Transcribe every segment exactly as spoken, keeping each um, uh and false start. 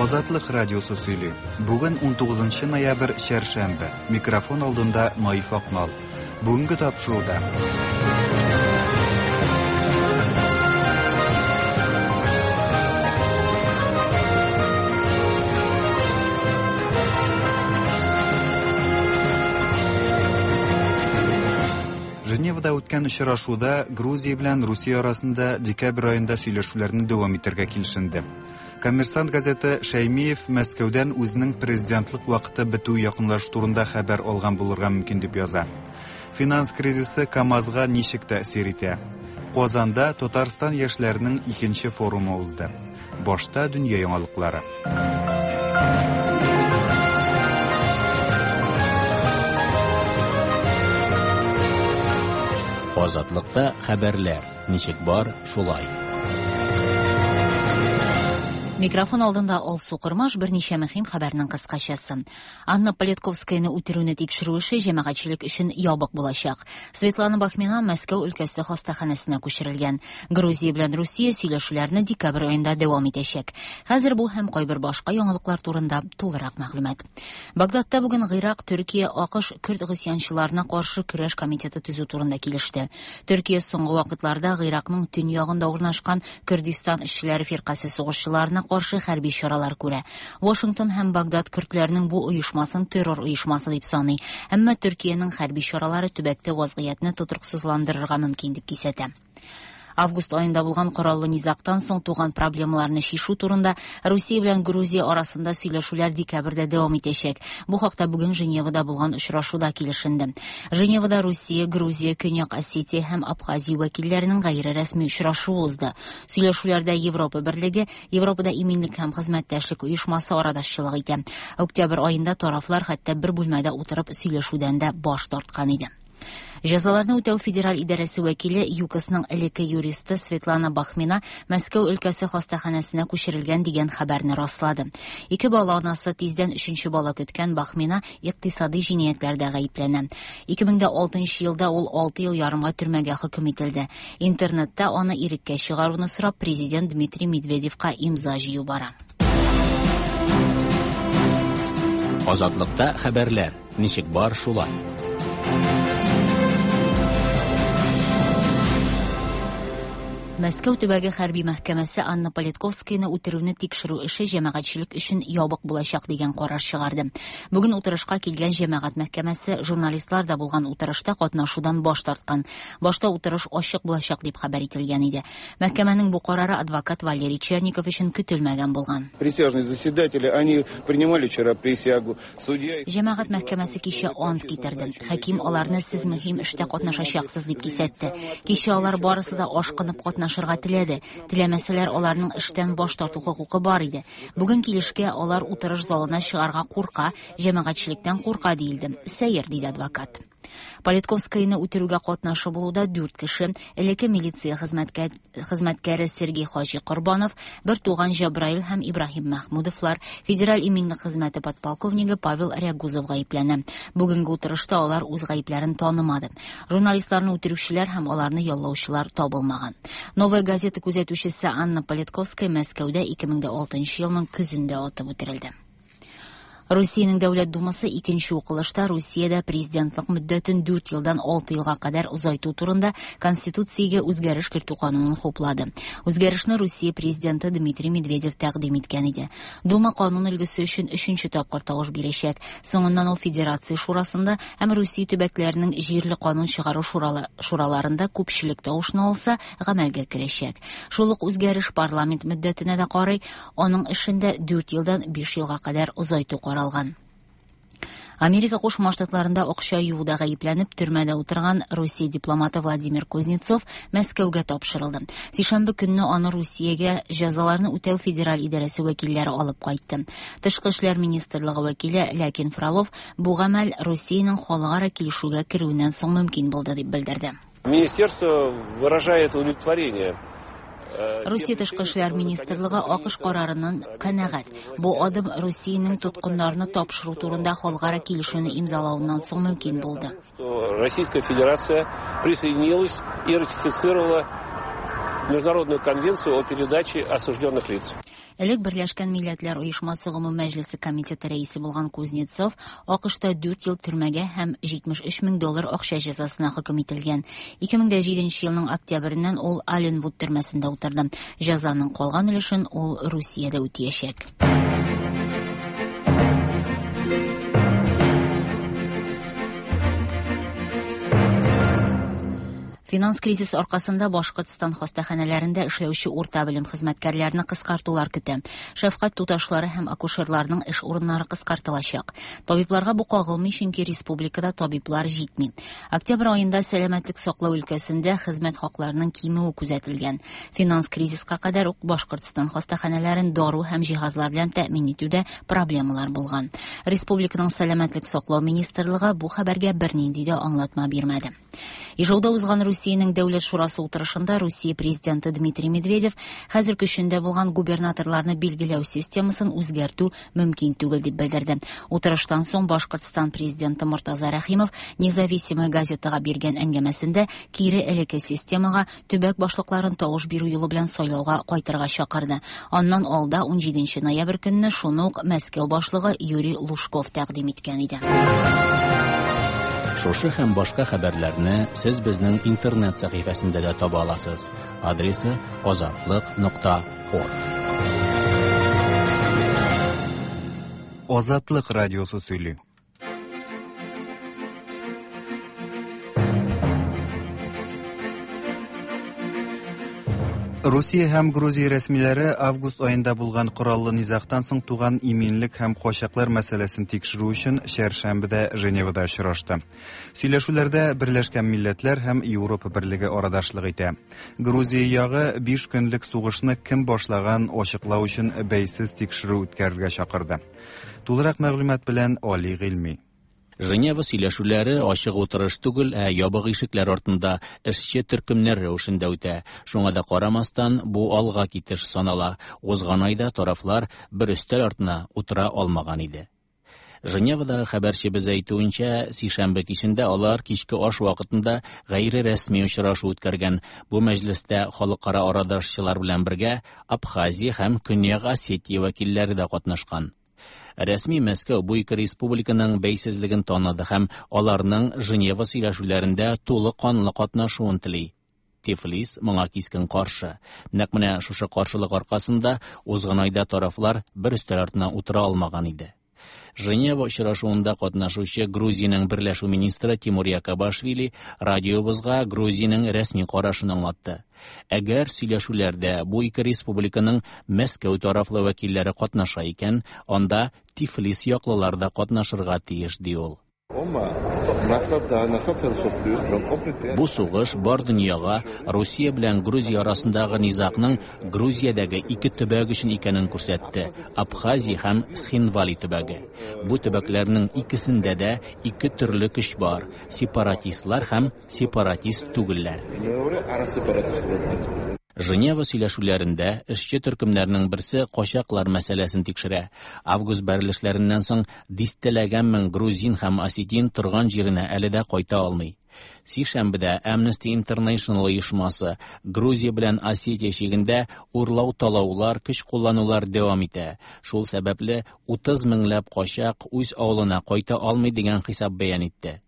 Азатлык радиосы сөйли. Бүген унтугызынчы ноябрь, чәршәмбе. Микрофон алдында Наиф Акмал. Бүгенге тапшыруда. Женевада үткән очрашуда Грузия белән Русия арасында декабрь аенда сөйләшүләрне дәвам итәргә килешенде. Коммерсант газеты Шәймиев Мәскәүдән үзенең президентлык вакыты бетү якынлашу турында хәбәр алган булырга мөмкин дип яза. Финанс кризисы КАМАЗга ничек тәэсир итә? Казанда Татарстан яшьләренең икенче форумы узды. Башта дөнья яңалыклары. Азатлыкта хәбәрләр ничек бар, шулай. Микрофон алдында Алсу Кырмаш, берничә мөһим хәбәрнең кыскачасы. Анна Политковскаяны үтерүне тикшерү эше җәмәгатьчелек өчен ябык булачак. Светлана Бахмина Мәскәү өлкәсе хастаханәсенә күчерелгән. Грузия белән Русия сөйләшүләрне декабрь аенда дәвам итәчәк. Хәзер бу һәм кайбер башка яңалыклар турында тулырак мәгълүмат. Багдадта бүген Гыйрак, Төркия, АКШ көрд гыйсьянчыларына каршы көрәш комитеты төзү турында килеште. Төркия соңгы вакытларда Гыйракның төньягында урнашкан Күрдистан эшчеләре фиркасе сугышчыларына каршы хәрби чаралар күрә. Вашингтон һәм Багдад көрдләрнең бу оешмасын террор оешмасы дип саный. Әмма Төркиянең хәрби чаралары төбәктә вазгыятьне тотрыксызландырырга мөмкин дип кисәтә. Август айында булган кораллы низактан соң туган проблемаларны чишү турында Русия белән Грузия арасында сөйләшүләр декабрьдә дәвам итәчәк. Бу хакта бүген Женевада булган очрашуда килешенде. Женевада Русия, Грузия, Көньяк Осетия һәм Абхазия вәкилләренең гайре рәсми очрашуы узды. Сөйләшүләрдә Европа Берлеге, Европада иминлек һәм хезмәттәшлек оешмасы арадашчылык итә. Октябрь аенда тарафлар хәтта бер бүлмәдә утырып сөйләшүдән дә баш тарткан иде. Җәзаларны үтәү федераль идарәсе вәкиле ЮКОСның элекке юристы Светлана Бахмина Мәскәү өлкәсе хастаханәсенә күчерелгән дигән хәбәрне раслады. Ике бала анасы тиздән өченче бала көткән Бахмина икътисади җинаятьләрдә гаепләнә. ике мең дә алтынчы елда ул алты ел ярымга төрмәгә хөкем ителде. Интернетта аны иреккә чыгаруны сорап президент Дмитрий Медведевка имза җыю бара. Азатлыкта хәбәрләр ничек бар, шулай. Мәскәү төбәге хәрби мәхкәмәсе Анна Политковскаяны үтерүне тикшерү эше җәмәгатьчелек өчен ябык булачак дигән карар чыгарды. Бүген утырышка килгән җәмәгать мәхкәмәсе журналистлар да булган утырышта катнашудан баш тарткан. Башта утырыш ачык булачак дип хәбәр ителгән иде. Мәхкәмәнең бу карары адвокат Валерий Черников өчен көтелмәгән булган. Присяжные заседатели, они принимали вчера присягу. Судья Җәмәгать мәхкәмәсе кичә ант китерде. Хаким аларны сез мөһим эштә катнашачаксыз дип кисәтте. Кичә алар барысы да ашкынып катнашырга теләде. Теләмәсәләр, аларның эштән баш тарту хокукы бар иде. Бүген килешкә алар утырыш залына чыгарга курка, җәмәгатьчелектән курка диелде. Сәер, диде адвокат. Политковскаяны үтерүгә катнашы булуда дүрт кеше, элекке милиция хезмәткә-, хезмәткәре Сергей Хаҗи Корбанов, бер туган Җабраил һәм Ибраһим Мәхмүдовлар, федераль иминлек хезмәте подполковнигы Павел Рягузов гаепләнә. Бүгенге утырышта алар үз гаепләрен танымады. Журналистларны үтерүчеләр һәм аларны яллаучылар табылмаган. Новая газета күзәтүчесе Анна Политковская Мәскәүдә ике мең дә алтынчы елның көзендә атып үтерелде. Русиянең Дәүләт Думасы икенче укылышта Русиядә президентлык мөддәтен дүрт елдан алты елга кадәр озайту турында Конституциягә үзгәреш кертү канунын хуплады. Үзгәрешне Русия президенты Дмитрий Медведев тәкъдим иткән иде. Дума канун өлгесе өчен өченче тапкыр тавыш бирәчәк. Соңыннан ул Федерация Шурасында һәм Русия төбәкләренең җирле канун чыгару шурала-, шураларында күпчелек тавышны алса, гамәлгә керәчәк. Шул ук үзгәреш парламент мөддәтенә дә карый, аның эшендә дүрт елдан биш елга кадәр озайту каралган. Америка Кушма Штатларында акча юуда гаепләнеп төрмәдә утырган Русия дипломаты Владимир Кузнецов Мәскәүгә тапшырылды. Сишәмбе көнне аны Русиягә җәзаларны үтәү федераль идарәсе вәкилләре алып кайтты. Тышкы эшләр министрлыгы вәкиле Ләкин Фролов бу гамәл Русиянең халыкара килешүгә керүеннән соң мөмкин булды дип белдерде. Министерство выражает удовлетворение. Русия Тышкы эшләр министрлыгы АКШ карарыннан канәгать. Бу адым Русиянең тоткыннарны тапшыру турында халыкара килешүне имзалавыннан соң мөмкин булды. Что Российская Федерация присоединилась и ратифицировала Международную конвенцию о передаче осужденных лиц. Элек Берләшкән Милләтләр Оешмасы Гомум Мәҗлесе комитеты рәисе булган Кузнецов АКШта дүрт ел төрмәгә һәм җитмеш өч мең доллар акча җәзасына хөкем ителгән. ике мең дә җиденче елның октябреннән ул Алленвуд төрмәсендә утырды. Җәзаның калган өлешен ул Русиядә үтәячәк. Финанс кризис аркасында Башкортстан хастаханәләрендә эшләүче урта белем хезмәткәрләрен кыскартулар көтә. Шәфкать туташлары һәм акушерларның эш урыннары кыскартылачак. Табибларга бу кагылмый, чөнки республикада табиблар җитми. Октябрь аенда сәламәтлек саклау өлкәсендә хезмәт хакларының кимүе күзәтелгән. Финанс кризиска кадәр ук Башкортстан хастаханәләрен дару һәм җиһазлар белән тәэмин итүдә проблемалар булган. Республиканың сәламәтлек саклау министрлыгы бу хәбәргә бернинди дә аңлатма бирмәде. Ижауда узган Русиянең Дәүләт шурасы утырышында Русия президенты Дмитрий Медведев хәзер көчендә булган губернаторларны билгеләү системасын үзгәртү мөмкин түгел дип белдерде. Утырыштан соң Башкортстан президенты Мортаза Рәхимов Независимая газетага биргән әңгәмәсендә кире элекке системага төбәк башлыкларын тавыш бирү юлы белән сайлауга кайтырга чакырды. Аннан алда ун җиденче ноябрь көнне шуны ук Мәскәү башлыгы Юрий Лужков тәкъдим иткән иде. Шушы һәм башка хәбәрләрне сез безнең интернет сәхифәсендә дә таба аласыз. Адресы азатлык нокта орг. Азатлык радиосы сөйли. Русия һәм Грузия рәсмиләре август аенда булган кораллы низагтан соң туган иминлек һәм качаклар мәсьәләсен тикшерү өчен чәршәмбедә Женевада очрашты. Сөйләшүләрдә Берләшкән Милләтләр һәм Европа Берлеге арадашлык итә. Грузия ягы биш көнлек сугышны кем башлаган ачыклау өчен бәйсез тикшерү үткәрергә чакырды. Тулырак мәгълүмат белән Али Гыйльми. Женева сөйләшүләре ачык утырыш түгел, ә ябык ишекләр артында эшче төркемнәр рәвешендә үтә. Шуңа да карамастан, бу алга китеш санала. Узган айда тарафлар бер өстәл артына утыра алмаган иде. Женевадагы хәбәрчебез әйтүенчә, сишәмбе кичендә алар кичке аш вакытында гайре рәсми очрашу үткәргән. Бу мәҗлестә халыкара арадашчылар белән бергә Абхазия һәм Көньяк Осетия вәкилләре дә катнашкан. Рәсми Мәскәү бу ике республиканың бәйсезлеген таныды һәм аларның Женева сөйләшүләрендә тулы канлы катнашуын тели. Тифлис моңа кискен каршы. Нәкъ менә шушы каршылык аркасында узган айда тарафлар бер өстәл артына утыра алмаган иде. Женева очрашуында катнашучы Грузиянең берләшү министры Тимур Якобашвили радиобызга Грузиянең рәсми карашын аңлатты. Әгәр сөйләшүләрдә бу ике республиканың Мәскәү тарафлы вәкилләре катнаша икән, анда Тифлис яклылар да катнашырга тиеш, ди ул. Бу сугыш бар дөньяга Русия белән Грузия арасындагы низагның Грузиядәге ике төбәк өчен икәнен күрсәтте: Абхазия һәм Схинвали төбәге. Бу төбәкләрнең икесендә дә ике төрле көч бар: сепаратистлар һәм сепаратист түгелләр. Женева сөйләшүләрендә эшче төркемнәрнең берсе качаклар мәсьәләсен тикшерә. Август бәрелешләреннән соң дистәләгән мең грузин һәм осетин торган җиренә әле дә кайта алмый. Сишәмбедә Amnesty International оешмасы Грузия белән Осетия чигендә урлау-талаулар, көч кулланулар дәвам итә. Шул сәбәпле утыз меңләп качак үз авылына кайта алмый дигән хисап бәян итте.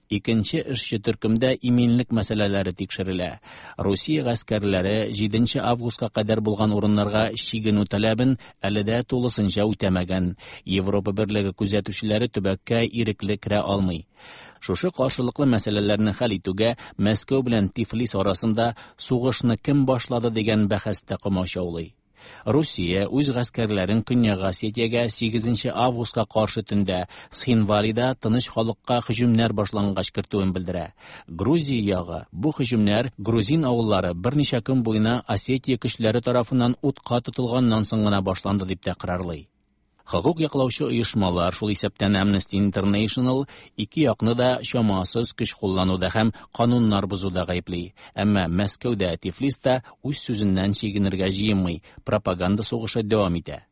Икенче эшче төркемдә иминлек мәсьәләләре тикшерелә. Русия гаскәрләре җиденче августка кадәр булган урыннарга чигенү таләбен әле дә тулысынча үтәмәгән. Европа Берлеге күзәтүчеләре төбәккә ирекле керә алмый. Шушы каршылыклы мәсьәләләрне хәл итүгә Мәскәү белән Тифлис арасында сугышны кем башлады дигән бәхәс тә комачаулый. Русия үз гаскәрләрен Көньяк Осетиягә сигезенче августка каршы төндә Схинвалида тыныч халыкка һөҗүмнәр башлангач кертүен белдерә. Грузия ягы бу һөҗүмнәр грузин авыллары берничә көн буена Осетия көчләре тарафыннан утка тотылганнан соң гына башланды дип тәкрарлый. Хокук яклаучы оешмалар, шул исәптән Amnesty International, ике якны да чамасыз көч куллануда һәм кануннар бозуда гаепли. Әмма Мәскәүдә Тифлиста үз сүзеннән чигенергә җыенмый, пропаганда сугышы дәвам итә.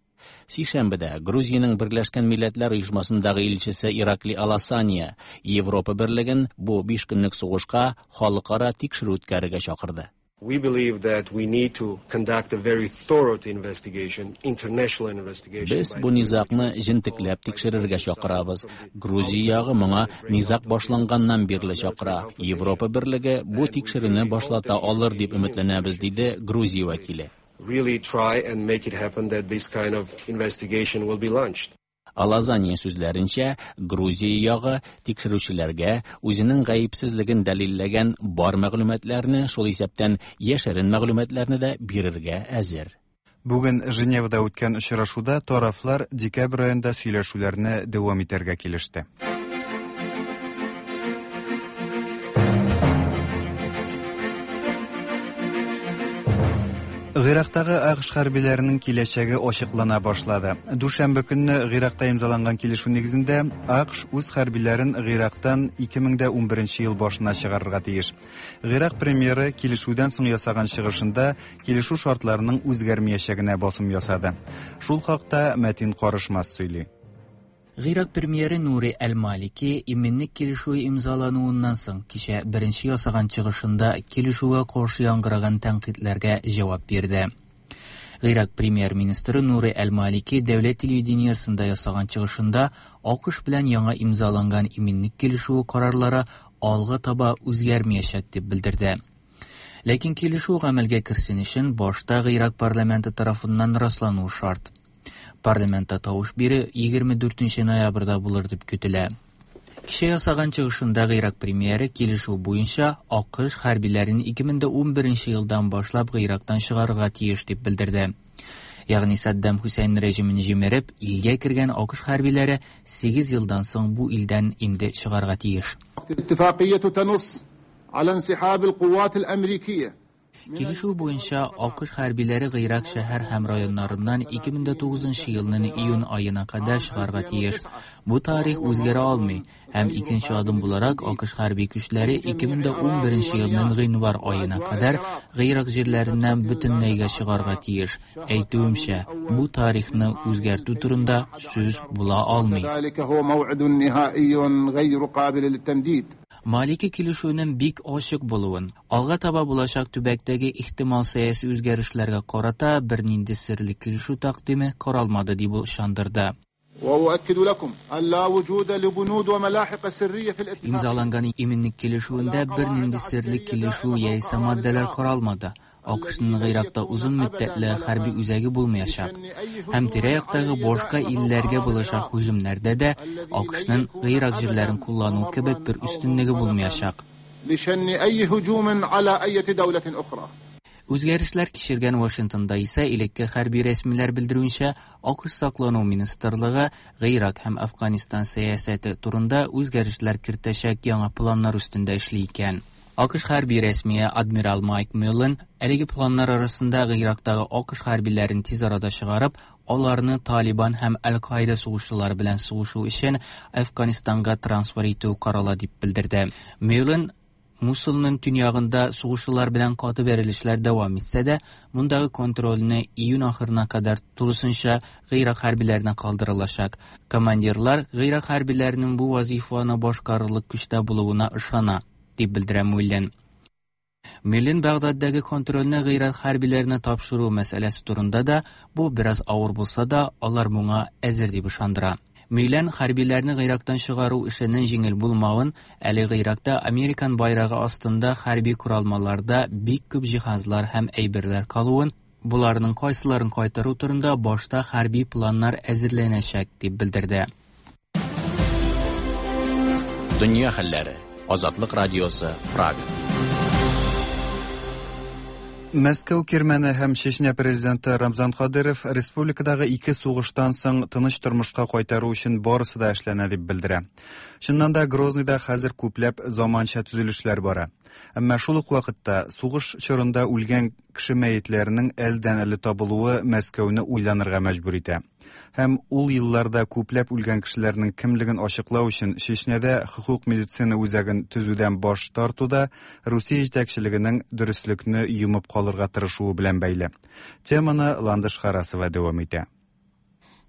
Сишәмбедә Грузиянең Берләшкән Милләтләр Оешмасындагы илчесе Иракли Аласания Европа Берлеген бу биш көнлек сугышка халыкара тикшерү үткәрергә чакырды. We believe that we need to conduct a very thorough investigation, international investigation. Без бу низагны җентекләп тикшерергә чакырабыз. Грузия ягы моңа низаг башланганнан бирле чакыра. Европа берлеге бу тикшерүне башлата алыр дип өметләнәбез, диде Грузия вәкиле. Really try and make it happen that this kind of investigation will be launched. Алазания сүзләренчә, Грузия ягы тикшерүчеләргә үзенең гаепсезлеген дәлилләгән бар мәгълүматларны, шул исәптән яшерен мәгълүматларны да бирергә әзер. Бүген Женевада үткән очрашуда тарафлар декабрь аенда сөйләшүләрне дәвам итәргә килеште. Гыйрактагы АКШ хәрбиләренең киләчәге ачыклана башлады. Дүшәмбе көнне Гыйракта имзаланган килешү нигезендә АКШ үз хәрбиләрен Гыйрактан ике мең дә унберенче ел башына чыгарырга тиеш. Гыйрак премьеры килешүдән соң ясаган чыгышында килешү шартларының үзгәрмәячәгенә басым ясады. Шул хакта Мәтин Карышмас сөйли. Гыйрак премьеры Нури Әл-Малики иминлек килешүе имзалануыннан соң кичә беренче ясаган чыгышында килешүгә каршы яңгыраган тәнкыйтьләргә җавап бирде. Гыйрак премьер-министры Нури Әл-Малики дәүләт телевидениесендә ясаган чыгышында АКШ белән яңа имзаланган иминлек килешүе карарлары алга таба үзгәрмәячәк дип белдерде. Ләкин килешү гамәлгә керсен өчен башта Гыйрак парламенты тарафыннан раслануы шарт. Парламентта тавыш бирү егерме дүртенче ноябрьдә булыр дип көтелә. Кичә ясаган чыгышында Гыйрак премьеры килешү буенча АКШ хәрбиләрен ике мең дә унберенче елдан башлап Гыйрактан чыгарырга тиеш дип белдерде. Ягъни Саддам Хусейн режимын җимереп, илгә кергән АКШ хәрбиләре сигез елдан соң бу илдән инде чыгарга тиеш. Килешү буенча АКШ хәрбиләре Гыйрак шәһәр һәм районнарыннан ике мең дә тугызынчы елның июнь аена кадәр чыгарга тиеш. Бу тарих үзгәрә алмый һәм икенче адым буларак АКШ хәрби көчләре ике мең дә унберенче елның гыйнвар аена кадәр Гыйрак җирләреннән бөтенләйгә чыгарга тиеш. Әйтүемчә, бу тарихны үзгәртү турында сүз була алмый. Малики килешүенең бик ачык булуын, алга таба булачак төбәктәге ихтимал сәяси үзгәрешләргә карата бернинди серле килешү тәкъдиме каралмады дип ышандырды. Имзаланган иминлек килешүендә бернинди серле килешү яисә маддәләр каралмады. АКШның Гыйракта узын мөддәтле хәрби үзәге булмаячак. Һәм тирә-яктагы башка илләргә булачак һөҗүмнәрдә дә АКШның Гыйрак җирләрен куллану кебек бер өстенлеге булмаячак. Үзгәрешләр кичергән Вашингтонда исә элекке хәрби рәсмиләр белдерүенчә, АКШ саклану министрлыгы Гыйрак һәм Афганистан сәясәте турында үзгәрешләр кертәчәк яңа планнар өстендә эшли икән. АКШ хәрби рәсмие адмирал Майк Мюллен әлеге планнар арасында Гыйрактагы АКШ хәрбиләрен тиз арада чыгарып, аларны Талибан һәм Әл-Каида сугышчылары белән сугышу өчен Афганистанга трансфер итү карала дип белдерде. Мюллен Мусулның төньягында сугышчылар белән каты бәрелешләр дәвам итсә дә, мондагы контрольне июнь ахырына кадәр тулысынча Гыйрак хәрбиләренә калдырылачак. Командирлар Гыйрак хәрбиләренең бу вазифаны башкарырлык көчтә булуына ышана, дип белдерә Мюллен. Мюллен Багдаддагы контрольне Гыйрак хәрбиләренә тапшыру мәсьәләсе турында да, бу бераз авыр булса да, алар моңа әзер дип ышандыра. Мюллен хәрбиләрне Гыйрактан чыгару эшенең җиңел булмавын, әле Гыйракта Американ байрагы астында хәрби коралмаларда бик күп җиһазлар һәм әйберләр калуын, буларның кайсыларын кайтару турында башта хәрби планнар әзерләнәчәк дип белдерде. Дөнья хәлләре. Азатлык радиосы, Прага. Мәскәү Кирмәне һәм Чечня президенты Рамзан Кадыров республикадагы ике сугыштан соң тыныч тормышка кайтару өчен барысы да эшләнә дип белдерә. Чыннан да Грозныйда хәзер күпләп заманча төзелешләр бара. Әмма шул ук вакытта сугыш чорында үлгән кеше мәетләренең әлдән-әле табылуы Мәскәүне уйланырга мәҗбүр итә. Һәм ул елларда күпләп үлгән кешеләрнең кемлеген ачыклау өчен Чечнядә хокук медицина үзәген төзүдән баш тартуда Русия җитәкчелегенең дөреслекне йомып калырга тырышуы белән бәйле. Теманы Ландыш Харасова дәвам итә.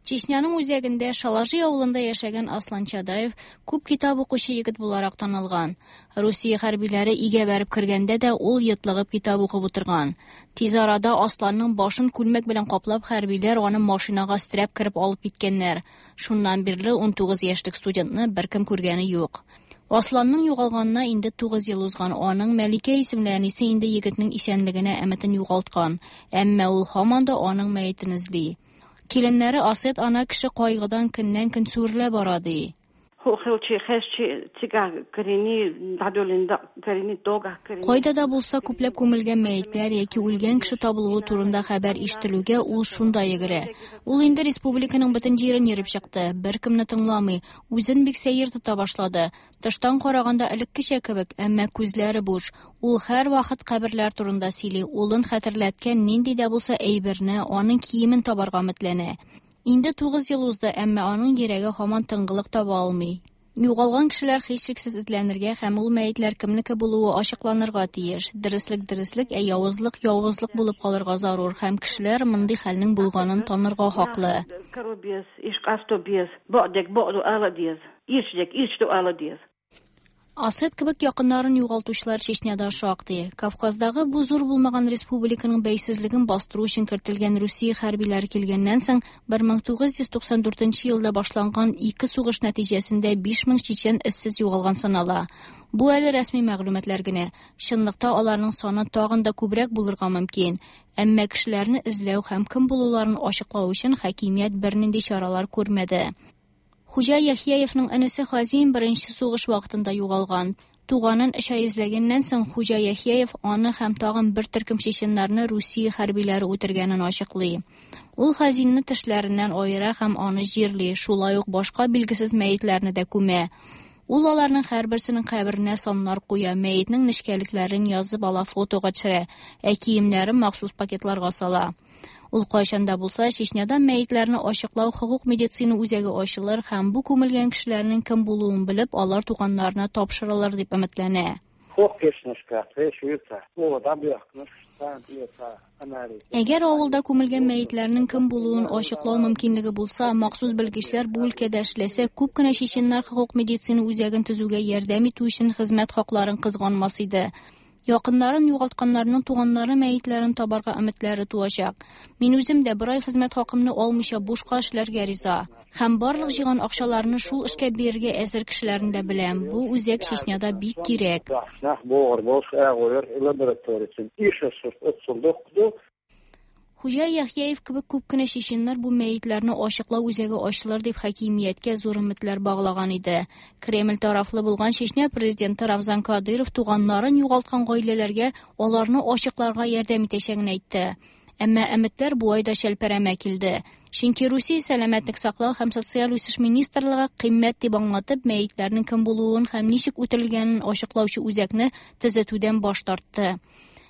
Чечняның үзәгендә Шалажи авылында яшәгән Аслан Чадаев күп китап укучы егет буларак танылган. Русия хәрбиләре өйгә бәреп кергәндә дә ул йотлыгып китап укып утырган. Тиз арада Асланның башын күлмәк белән каплап хәрбиләр аны машинага өстерәп кереп алып киткәннәр. Шуннан бирле ун тугыз яшьлек студентны беркем күргәне юк. Асланның югалганына инде тугыз ел узган. Аның Мәликә исемле әнисе инде егетнең исәнлегенә өметен югалткан. Әмма ул һаман да аның мәетен эзли. Киленнәре Асет ана кеше кайгыдан көннән-көн сүрелә бара ди. Кайда да булса күпләп күмелгән мәетләр яки үлгән кеше табылуы турында хәбәр ишетелүгә ул шунда йөгерә. Ул инде республиканың бөтен җирен йөреп чыкты, беркемне тыңламый, үзен бик сәер тота башлады. Тыштан караганда элеккечә кебек, әмма күзләре буш. Ул һәр вакыт каберләр турында сөйли, улын хәтерләткән нинди дә булса әйберне, аның киемен табарга өметләнә. Инде тугыз ел узды, әмма аның йөрәге һаман тынгылык таба алмый. Югалган кешеләр һичшиксез эзләнергә һәм ул мәетләр кемнеке булуы ачыкланырга тиеш. Дөреслек дөреслек, ә явызлык явызлык булып калырга зарур һәм кешеләр мондый хәлнең булганын танырга хаклы. Асет кебек якыннарын югалтучылар Чечняда шактый. Кавказдагы бу зур булмаган республиканың бәйсезлеген бастыру өчен кертелгән Русия хәрбиләре килгәннән соң бер мең тугыз йөз туксан дүртенче елда башланган ике сугыш нәтиҗәсендә биш мең чечен эзсез югалган санала. Бу әле рәсми мәгълүматлар генә. Чынлыкта аларның саны тагын да күбрәк булырга мөмкин. Әмма кешеләрне эзләү һәм кем булуларын ачыклау өчен хакимият бернинди чаралар күрмәде. Хуҗа Яхьяевның энесе Хазим беренче сугыш вакытында югалган. Туганын өч ай эзләгәннән соң Хуҗа Яхьяев аны һәм тагын бер төркем чеченнарны Русия хәрбиләре үтергәнен ачыклый. Ул Хазимны тешләреннән аера һәм аны җирли, шулай ук башка билгесез мәетләрне дә күмә. Ул аларның һәрберсенең каберенә саннар куя, мәетнең нечкәлекләрен язып ала, фотога төшерә, ә киемнәрен махсус пакетларга сала. Ул кайчан да булса Чечняда мәетләрне ачыклау хокук медицина үзәге ачылыр һәм бу күмелгән кешеләрнең кем булуын белеп, алар туганнарына тапшырылыр дип өметләнә. Әгәр авылда күмелгән мәетләрнең кем булуын ачыклау мөмкинлеге булса, махсус белгечләр бу өлкәдә эшләсә, күп кенә чеченнар хокук медицина үзәген төзүгә ярдәм итү өчен хезмәт хакларын кызганмас иде. Якыннарын югалтканнарның туганнары мәетләрен табарга өметләре туачак. Мин үзем дә бер ай хезмәт хакымны алмыйча бушка эшләргә риза. Һәм барлык җыйган акчаларны шул эшкә бирергә әзер кешеләрне дә беләм. Бу үзәк Чечняда бик кирәк. Хуҗа Яхьяев кебек күп кенә чеченнар бу мәетләрне ачыклау үзәге ачылыр дип хакимияткә зур өметләр баглаган иде. Кремль тарафлы булган Чечня президенты Рамзан Кадыров туганнарын югалткан гаиләләргә аларны ачыкларга ярдәм итәчәген әйтте. Әмма өметләр бу айда шәлперәмә килде. Чөнки Русия сәламәтлек саклау һәм социаль үсеш министрлыгы кыйммәт дип аңлатып мәетләрнең кем булуын һәм ничек үтерелгәнен ачыклаучы үзәкне төзетүдән баш тартты.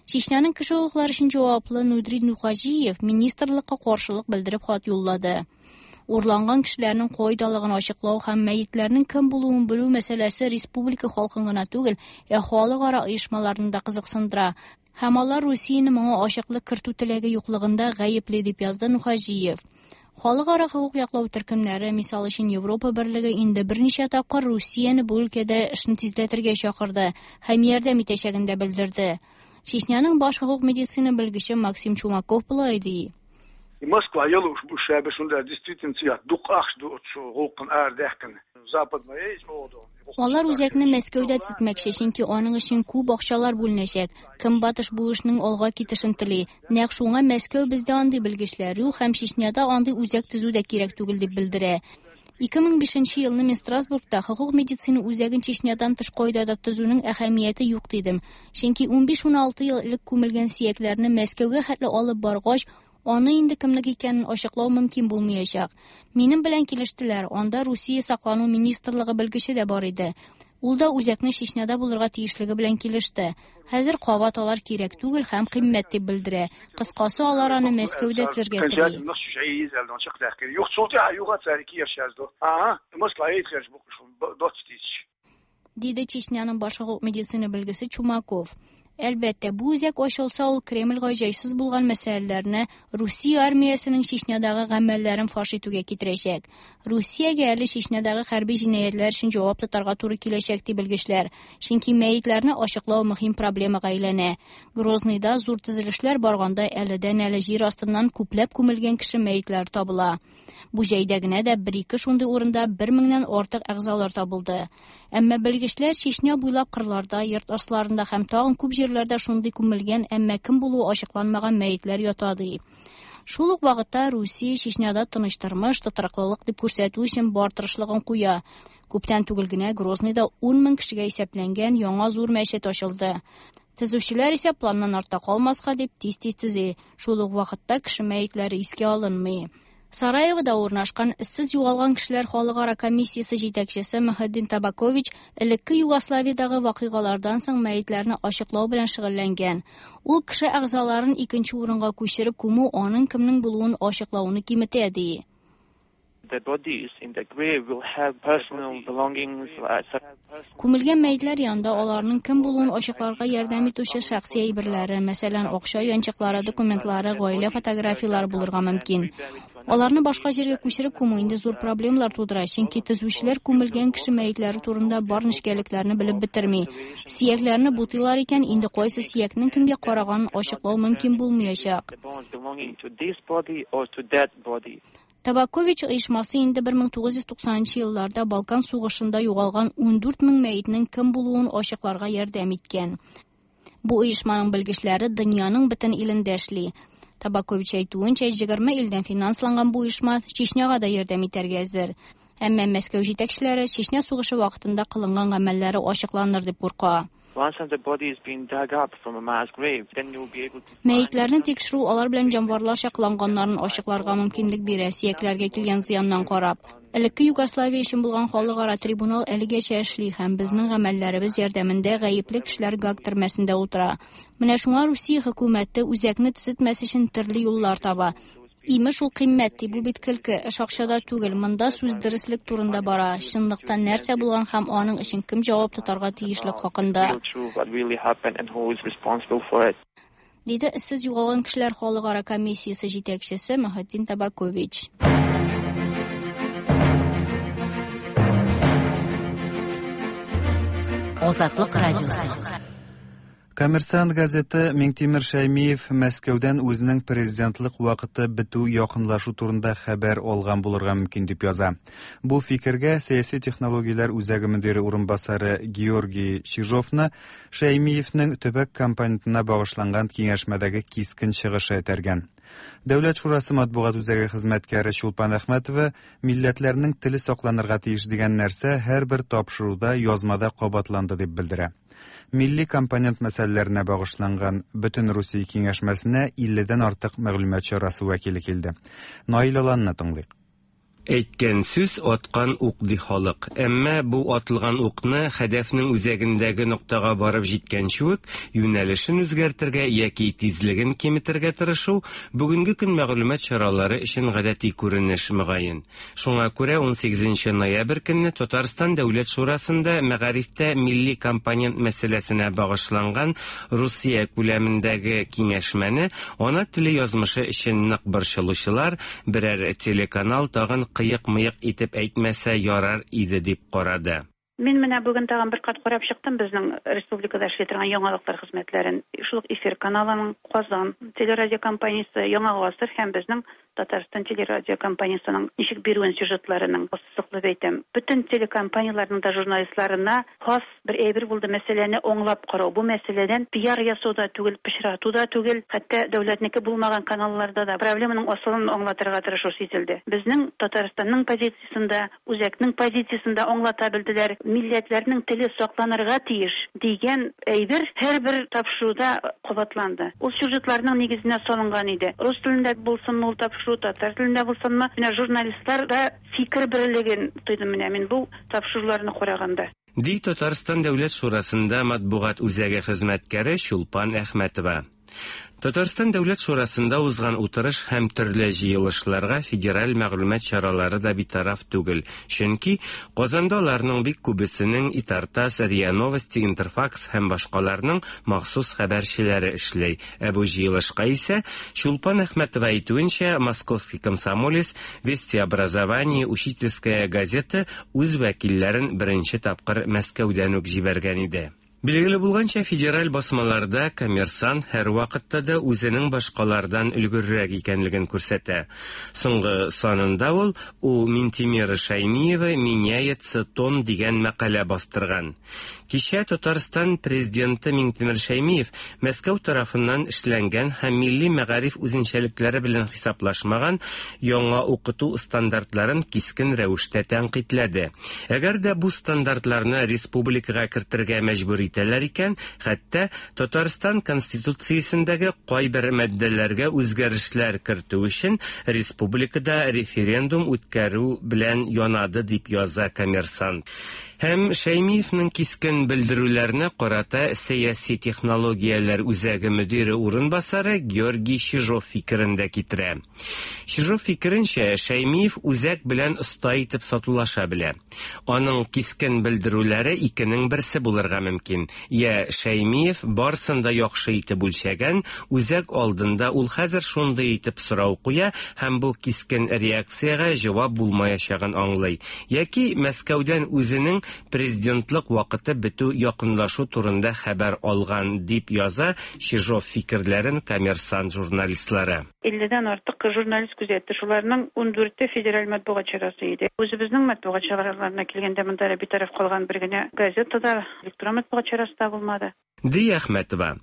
Чечняның кеше хокуклары өчен җаваплы Нудри Нухаҗиев министрлыкка каршылык белдереп хат юллады. Урланган кешеләрнең кайдалыгын ачыклау һәм мәетләрнең кем булуын белү мәсьәләсе республика халкын гына түгел, ә халыкара оешмаларны да кызыксындыра. Һәм алар Русияне моңа ачыклык кертү теләге юклыгында гаепле дип язды Нухаҗиев. Халыкара хокук яклау төркемнәре, мисал өчен Европа Берлеге инде берничә тапкыр Русияне бу өлкәдә эшне тизләтергә чакырды һәм ярдәм итәчәген дә белдерде. Чечняның баш хокук медицина белгече Максим Чумаков болай ди. Алар үзәкне Мәскәүдә төзетмәкче, чөнки аның өчен күп акчалар бүленәчәк. Көнбатыш бу эшнең алга китешен тели. Нәкъ шуңа Мәскәү бездә андый белгечләр юк һәм Чечняда андый үзәк төзү дә кирәк түгел дип белдерә. ике мең бишенче елны мин Страсбургта хокук медицина үзәген Чечнядан тыш кайда да төзүнең әһәмияте юк дидем. Чөнки ун биш-ун алты ел элек күмелгән сөякләрне Мәскәүгә хәтле алып баргач, аны инде кемнеке икәнен ачыклау мөмкин булмаячак. Минем белән килештеләр. Анда Русия саклану министрлыгы белгече дә бар иде. Ул да үзәкне Чечняда булырга тиешлеге белән килеште. Хәзер кабат алар кирәк түгел һәм кыйммәт дип белдерә. Кыскасы, алар аны Мәскәүдә төзергә тели. Диде Чечняның баш хокук медицина белгече Чумаков. Әлбәттә, бу үзәк ачылса, ул Кремльгә җайсыз булган мәсьәләләрне Русия армиясенең Чечнядагы гамәлләрен фаш итүгә китерәчәк. Русиягә әле Чечнядагы хәрби җинаятьләр өчен җавап тотарга туры киләчәк, ди белгечләр. Чөнки мәетләрне ачыклау мөһим проблемага әйләнә. Грозныйда зур төзелешләр барганда әледән-әле җир астыннан күпләп күмелгән кеше мәетләре табыла. Бу җәйдә генә дә бер-ике шундый урында бер меңнән артык әгъзалар табылды. Әмма белгечләр Чечня буйлап кырларда, йорт асларында һәм тагын күп җирләрдә шундый күмелгән, әмма кем булуы ачыкланмаган мәетләр ята, ди. Шул ук вакытта Русия Чечняда тыныч тормыш, тотрыклылык дип күрсәтү өчен бар тырышлыгын куя. Күптән түгел генә Грозныйда ун мең кешегә исәпләнгән яңа зур мәчет ачылды. Төзүчеләр исә планнан артта калмаска дип тиз-тиз төзи. Шул ук вакытта кеше мәетләре искә алынмый. Сараевода урнашкан эзсез югалган кешеләр халыкара комиссиясе җитәкчесе Мөхетдин Табакович элекке Югославиядәге вакыйгалардан соң мәетләрне ачыклау белән шөгыльләнгән. Ул кеше әгъзаларын икенче урынга күчереп күмү аның кемнең булуын ачыклауны киметә, ди. The bodies in the grave will have personal belongings. Күмелгән мәетләр янында аларның кем булуын ачыкларга ярдәм итүче шәхси әйберләре, мәсәлән, акча янчыклары, документлары, гаилә фотографияләре булырга мөмкин. Аларны башка җиргә күчереп күмү инде зур проблемалар тудыра, чөнки төзүчеләр күмелгән кеше мәетләре турында бар нечкәлекләрне белеп бетерми. Сөякләрне бутыйлар икән, инде кайсы сөякнең кемгә караганын ачыклау мөмкин булмаячак. Табакович оешмасы инде бер мең тугыз йөз туксанынчы елларда Балкан сугышында югалган ундүрт мең мәетнең кем булуын ачыкларга ярдәм иткән. Бу оешманың белгечләре дөньяның бөтен илендә эшли. Табакович әйтүенчә, егерме илдән финансланган бу оешма Чечняга да ярдәм итәргә әзер. Әмма Мәскәү җитәкчеләре Чечня сугышы вакытында кылынган гамәлләре ачыкланыр дип курка. Мәетләрне тикшерү алар белән җанварларча кыланганнарын ачыкларга мөмкинлек бирә, сөякләргә килгән зыяннан карап. Элекке Югославия өчен булган халыкара трибунал әлегәчә эшли һәм безнең гамәлләребез ярдәмендә гаепле кешеләр Гааг төрмәсендә утыра. Менә шуңа Русия хөкүмәте үзәкне төзетмәс өчен төрле юллар таба. Имеш ул кыйммәт, ди, бу бит көлке, эш акчада түгел, монда сүз дөреслек турында бара, чынлыкта нәрсә булган һәм аның өчен кем җавап тотарга тиешлек хакында. Диде эзсез югалган кешеләр халыкара комиссиясе җитәкчесе Мөхетдин Табакович. Азатлык радиосы. Коммерсант газеты Миңтимер Шәймиев Мәскәүдән үзенең президентлык вакыты бетү якынлашу турында хәбәр алган булырга мөмкин дип яза. Бу фикергә сәяси технологияләр үзәге мөдире урынбасары Георгий Чижовны Шәймиевнең төбәк компонентына багышланган киңәшмәдәге кискен чыгышы этәргән. Дәүләт шурасы матбугат үзәге хезмәткәре Чулпан Әхмәтова милләтләрнең теле сакланырга тиеш дигән нәрсә һәрбер тапшыруда язмада кабатланды дип белдерә. Милли компонент мәсьәләләренә багышланган бөтен Русия киңәшмәсенә илледән артык мәгълүмат чарасы вәкиле килде. Наил Аланны тыңлыйк. Әйткән сүз аткан ук ди халык. Әмма бу атылган укны хәдәфнең үзәгендәге ноктага барып җиткәнче үк юнәлешен үзгәртергә яки тизлеген киметергә тырышу бүгенге көн мәгълүмат чаралары өчен гадәти күренеш мөгаен. Шуңа күрә унсигезенче ноябрь көнне Татарстан Дәүләт Шурасында мәгарифтә милли компонент мәсьәләсенә багышланган Русия күләмендәге киңәшмәне ана теле язмышы өчен нык борчылучылар берәр телеканал тагын кыек-мыек итеп әйтмәсә ярар иде дип карады. Мин менә бүген тагын бер кат карап чыктым безнең республикада эшли торган яңалыклар хезмәтләрен. Шул ук Эфир каналының, Казан телерадио компаниясе, Яңа гасыр һәм безнең Татарстан телерадио компаниясының ничек бирүен сюжетларының ассызыклап әйтәм. Бөтен телекомпанияләрнең дә журналистларына хас бер әйбер булды мәсьәләне аңлап карау. Бу мәсьәләдән пиар ясау да түгел, пычрату да түгел, хәтта дәүләтнеке булмаган каналларда да проблеманың асылын аңлатырга тырышу сизелде. Безнең Татарстанның позициясендә, үзәкнең позициясендә аңлата белделәр. Милләтләрнең теле сакланырга тиеш дигән әйбер һәрбер тапшыруда кабатланды. Ул сюжетларның нигезенә салынган иде. Рус телендә булсынмы ул тапшыру, татар телендә булсынмы, менә журналистлар да фикер берлеген тойдым менә мин бу тапшыруларны караганда. Ди Татарстан Дәүләт Шурасында матбугат үзәге хезмәткәре Чулпан Әхмәтова. Татарстан Дәүләт Шурасында узган утырыш һәм төрле җыелышларга федераль мәгълүмат чаралары да битараф түгел, чөнки Казанда аларның бик күбесенең ИТАР-ТАСС, РИА Новости, Интерфакс һәм башкаларның махсус хәбәрчеләре эшли. Ә бу җыелышка исә Чулпан Әхмәтова әйтүенчә, Московский комсомолец, Вести образование, Учительская газета үз вәкилләрен беренче тапкыр Мәскәүдән үк җибәргән иде. Билгеле булганча, федераль басмаларда Коммерсант һәрвакытта да үзенең башкалардан өлгеррәк икәнлеген күрсәтә. Соңгы санында ул «У Минтимера Шаймиева меняется тон» дигән мәкалә бастырган. Кичә Татарстан президенты Минтимер Шаймиев Мәскәү тарафыннан эшләнгән һәм милли мәгариф үзенчәлекләре белән хисаплашмаган яңа укыту стандартларын кискен рәвештә тәнкыйтьләде. Әгәр дә бу стандартларны республикага кертергә мәҗбүр итәләр икән, хәтта Татарстан Конституциясендәге кайбер маддәләргә үзгәрешләр кертү өчен республикада референдум үткәрү белән янады, дип яза Коммерсант. Һәм Шаймиевның кискен белдерүләренә карата сәяси технологияләр үзәге мөдире урынбасары Георгий Чижов фикерен дә китерә. Чижов фикеренчә, Шаймиев үзәк белән оста итеп сатулаша белә. Аның кискен белдерүләре икенең берсе булырга мөмкин. Я Шаймиев барсын да яхшы итеп үлчәгән, үзәк алдында ул хәзер шундый итеп сорау куя һәм бу кискен реакциягә җавап булмаячагын аңлый. Яки Мәскәүдән үзенең президентлык вакыты бетү якынлашу турында хәбәр алган, дип яза Чижов фикерләрен Коммерсант журналистлары. Илледән артык журналист күзәтте. Шуларның ундүрте федераль матбугат чарасы иде. Үзебезнең матбугат чараларына килгәндә монда битараф калган бер генә газета да, электрон матбугат чарасы да булмады. Ди Әхмәтова.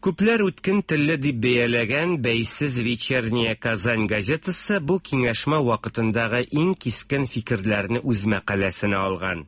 Күпләр үткен телле дип бәяләгән бәйсез Вечерняя Казань газетасы бу киңәшмә вакытындагы иң кискен фикерләрне үз мәкаләсенә алган.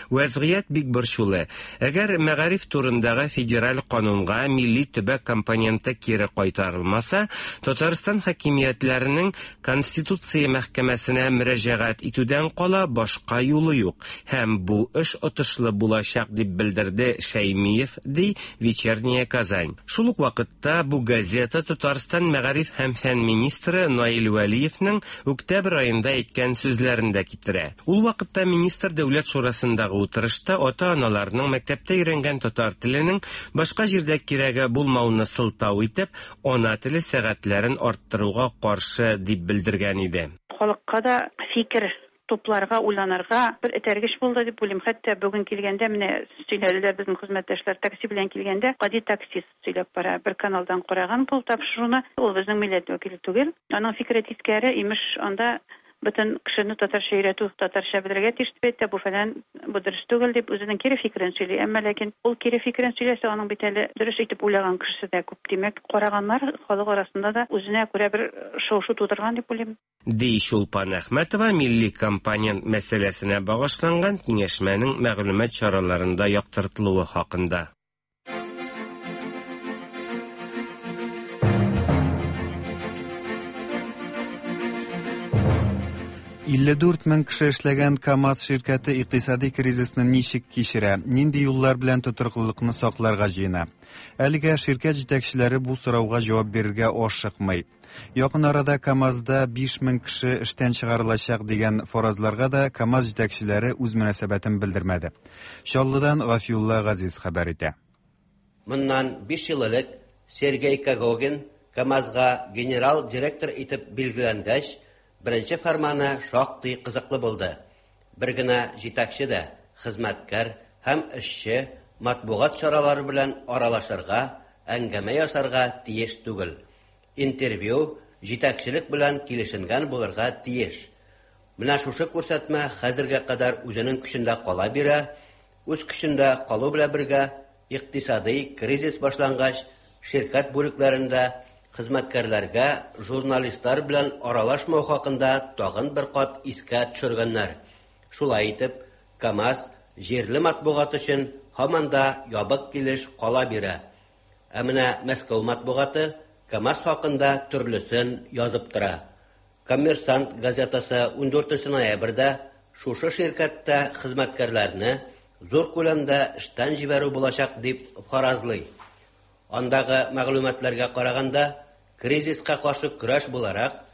Вәзгыять бик борчулы. Әгәр мәгариф турындагы федераль канунга милли төбәк компоненты кире кайтарылмаса, Татарстан хакимиятләренең Конституция мәхкәмәсенә мөрәҗәгать итүдән кала башка юлы юк һәм бу эш отышлы булачак, дип белдерде Шаймиев, ди Вечерняя Казань. Шул ук вакытта бу газета Татарстан мәгариф һәм фән министры Наил Вәлиевның октябрь аенда әйткән сүзләрен дә китерә. Ул вакытта министр Дәүләт шурасында утырышта ата-аналарның мәктәптә өйрәнгән татар теленең башка җирдә кирәге булмауны сылтау итеп, ана теле сәгатьләрен арттыруга каршы дип белдергән иде. Халыкка да фикер тупларга, уйланырга бер этәргеч булды дип уйлыйм. Хәтта бүген килгәндә менә сөйләделәр безнең хезмәттәшләр, такси белән килгәндә гади таксист сөйләп бара. Бер каналдан караган бу тапшыруны, ул безнең милләт вәкиле түгел. Аның фикере тискәре, имеш, анда бөтен кешене татарча өйрәтү, татарча белергә тиеш дип әйтә, бу фәлән, бу дөрес түгел дип үзенең кире фикерен сөйли. Әмма ләкин ул кире фикерен сөйләсә, аның бит әле дөрес итеп уйлаган кешесе дә күп. Димәк, караганнар халык арасында да үзенә күрә бер шау-шу тудырган дип уйлыйм. Ди Чулпан Әхмәтова милли компонент мәсьәләсенә багышланган киңәшмәнең мәгълүмат чараларында яктыртылуы хакында. илле дүрт мең кеше эшләгән КАМАЗ ширкәте икътисади кризисны ничек кичерә, нинди юллар белән тотрыклылыкны сакларга җыена? Әлегә ширкәт җитәкчеләре бу сорауга җавап бирергә ашыкмый. Якын арада КАМАЗда биш мең кеше эштән чыгарылачак дигән фаразларга да КАМАЗ җитәкчеләре үз мөнәсәбәтен белдермәде. Чаллыдан Гафиулла Газиз хәбәр итә. Моннан биш ел элек Сергей Когогин КАМАЗга генерал директор итеп билгеләнгәч, беренче фәрманы шактый кызыклы булды. Бер генә җитәкче дә хезмәткәр һәм эшче матбугат чаралары белән аралашырга, әңгәмә ясарга тиеш түгел. Интервью җитәкчелек белән килешенгән булырга тиеш. Менә шушы күрсәтмә хәзергә кадәр үзенең көчендә кала бирә. Үз көчендә калу белән бергә икътисади кризис башлангач, ширкәт бүлекләрендә хезмәткәрләргә журналистлар белән аралашмау хакында тагын бер кат искә төшергәннәр. Шулай итеп, КАМАЗ җирле матбугат өчен һаман да ябык килеш кала бирә. Ә менә Мәскәү матбугаты КАМАЗ хакында төрлесен язып тора. Коммерсант газетасы ундүртенче ноябрьдә шушы ширкәттә хезмәткәрләрне зур күләмдә эштән җибәрү булачак дип фаразлый. Андагы мәгълүматларга караганда, кризиска каршы көрәш буларак,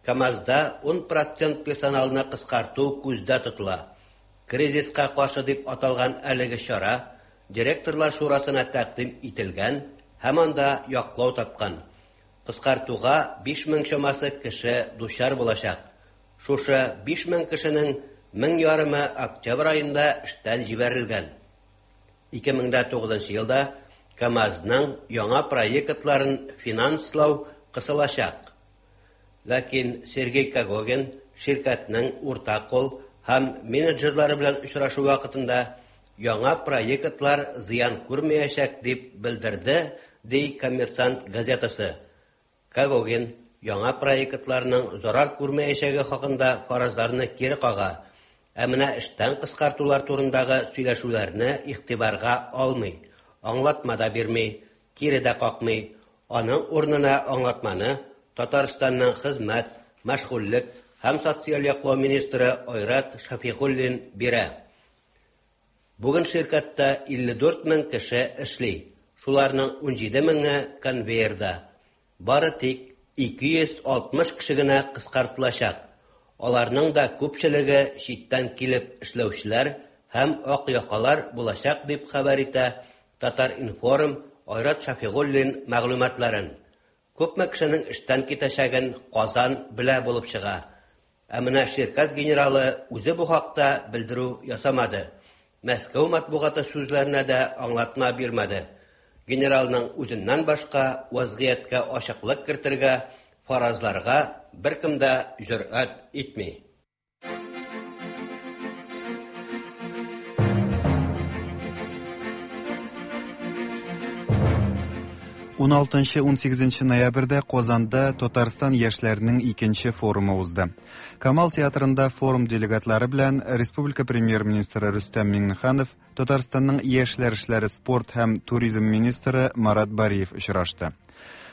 КАМАЗда ун процент персоналны кыскарту күздә тотыла. Кризиска каршы дип аталган әлеге чара директорлар шурасына тәкъдим ителгән һәм анда яклау тапкан. Кыскартуга биш мең чамасы кеше дучар булачак. Шушы биш мең кешенең мең ярымы октябрь аенда эштән җибәрелгән. ике мең дә тугызынчы елда КАМАЗның яңа проектларын финанслау кысылачак. Ләкин Сергей Когогин ширкәтнең урта кул һәм менеджерлары белән очрашу вакытында яңа проектлар зыян күрмәячәк дип белдерде, ди Коммерсант газетасы. Когогин яңа проектларның зарар күрмәячәге хакында фаразларны кире кага, ә менә эштән кыскартулар турындагы сөйләшүләрне игътибарга алмый, аңлатма да бирми, кире дә какмый. Аның урынына аңлатманы Татарстанның хезмәт, мәшгульлек һәм социаль яклау министры Айрат Шафигуллин бирә. Бүген ширкәттә илле дүрт мең кеше эшли. Шуларның ун җиде меңе конвейерда. Бары тик ике йөз алтмыш кеше генә кыскартылачак. Аларның да күпчелеге читтән килеп эшләүчеләр һәм ак якалар булачак дип хәбәр итә Татар-информ Айрат Шафигуллин мәгълүматларын. Күпме кешенең эштән китәчәген Казан белә булып чыга. Ә менә ширкәт генералы үзе бу хакта белдерү ясамады. Мәскәү матбугаты сүзләренә дә аңлатма бирмәде. Генералның үзеннән башка вазгыятькә ачыклык кертергә, фаразларга беркем дә җөрьәт итми. ун алтынчы ун сигезенче ноябрьдә Казанда Татарстан яшьләренең икенче форумы узды. Камал театрында форум делегатлары белән Республика премьер-министры Рөстәм Миңнеханов, Татарстанның яшьләр эшләре, спорт һәм туризм министры Марат Бариев очрашты.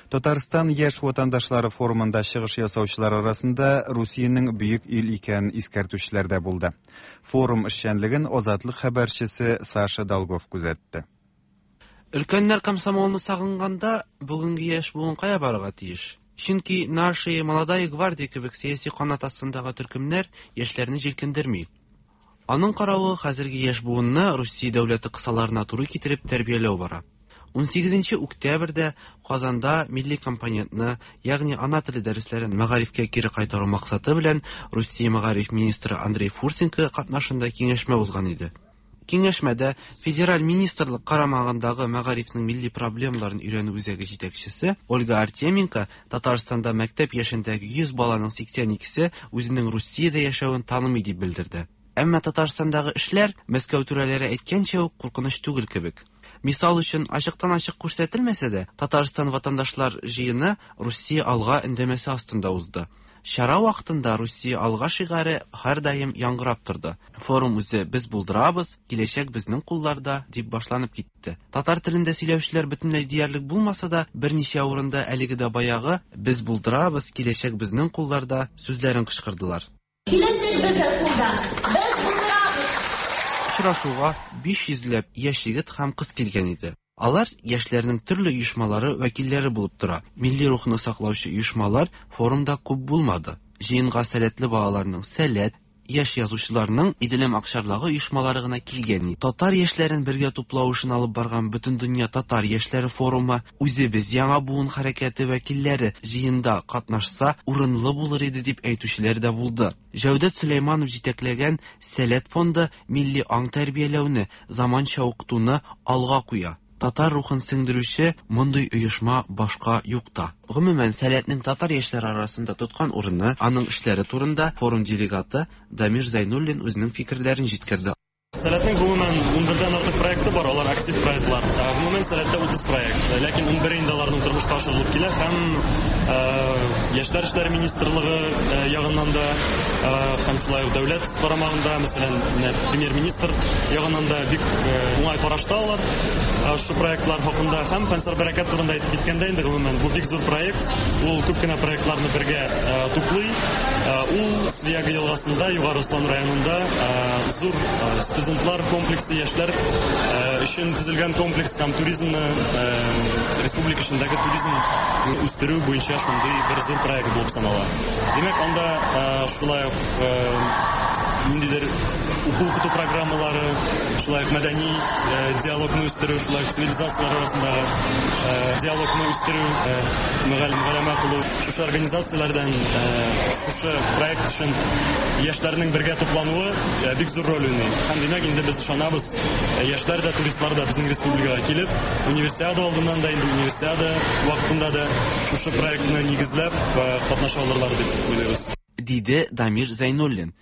Татарстан яшь ватандашлары форумында чыгыш ясаучылар арасында Русиянең бөек ил икәнен искәртүчеләр дә булды. Форум эшчәнлеген Азатлык хәбәрчесе Саша Долгов күзәтте. Өлкәннәр комсомолны сагынганда, бүгенге яшь буын кая барырга тиеш? Чөнки Наши молодая гвардия кебек сәяси канат астындагы төркемнәр яшьләрне җилкендерми. Аның каравы хәзерге яшь буынны Русия дәүләте кысаларына туры китереп тәрбияләү бара. ун сигезенче октябрьдә Казанда милли компонентны, ягъни ана теле дәресләрен мәгарифкә кире кайтару максаты белән Русия мәгариф министры Андрей Фурсенко катнашында киңәшмә узган иде. Киңәшмәдә федераль министрлык карамагындагы мәгарифнең милли проблемаларын өйрәнү үзәге җитәкчесе Ольга Артеменко Татарстанда мәктәп яшендәге йөз баланың сиксән икесе үзенең Русиядә яшәвен танымый дип белдерде. Әмма Татарстандагы эшләр Мәскәү түрәләре әйткәнчә үк куркыныч түгел кебек. Мисал өчен, ачыктан-ачык күрсәтелмәсә дә, Татарстан ватандашлар җыены Русия алга өндәмәсе астында узды. Чара вакытында Русия алга шигаре һәрдаим яңгырап торды. Форум үзе «Без булдырабыз, киләчәк безнең кулларда» дип башланып китте. Татар телендә сөйләүчеләр бөтенләй диярлек булмаса да, берничә урында әлеге дә баягы «Без булдырабыз, киләчәк безнең кулларда» сүзләрен кычкырдылар. Киләчәк безнең кулда. Без булдырабыз. Очрашуга биш йөзләп яшь егет һәм кыз килгән иде. Алар яшьләрнең төрле оешмалары вәкилләре булып тора. Милли рухны саклаучы оешмалар форумда күп булмады. Җыенга сәләтле балаларның сәләт, яшь язучыларның Иделем акчарлагы оешмалары гына килгән иде. Татар яшьләрен бергә туплау эшен алып барган Бөтендөнья татар яшьләре форумы үзебез яңа буын хәрәкәте вәкилләре җыенда катнашса урынлы булыр иде дип әйтүчеләр дә булды. Җәүдәт Сөләйманов җитәкләгән Сәләт фонды милли аң тәрбияләүне, заманча укытуны алга куя. Татар рухын сеңдерүче мондый оешма башка юк та. Гомумән, Сәләтнең татар яшьләре арасында тоткан урыны, аның эшләре турында форум делегаты Дамир Зайнуллин үзенең фикерләрен җиткерде. Сәләтнең гомумән ун бердән артык проекты бар, алар актив проектлар. Гомумән Сәләттә утыз проект, ләкин ун бере инде аларның тормышка ашырылып килә һәм Яшьләр эшләре министрлыгы ягыннан да һәм шулай ук дәүләт карамагында, мәсәлән, премьер-министр ягыннан да бик уңай карашта алар шу проектлар хакында. Һәм Фәнсар Бәрәкәт турында әйтеп киткәндә инде гомумән бу бик зур проект, ул күп кенә проектларны бергә туплый. Ул Свияга елгасында, Югары Ослан районында зур студентлар комплексы, яшьләр Өчен төзелгән комплекс һәм туризмны, республика эчендәге туризм үстерү буенча шундый бер зур проект булып санала. Димәк, анда шулай ук ниндидер уку-укыту программалары, шулай ук мәдәни диалогны үстерү, шулай ук цивилизацияләр арасындагы диалогны үстерү, мөгаләмә кылу, шушы организацияләрдән шушы проект өчен яшьләрнең бергә туплануы бик зур роль уйный. Һәм димәк, инде без ышанабыз, яшьләр дә, туристлар да безнең республикага килеп, универсиада алдыннан да, инде универсиада вакытында да шушы проектны нигезләп катнаша алырлар дип уйлыйбыз. Диде Дамир Зайнуллин.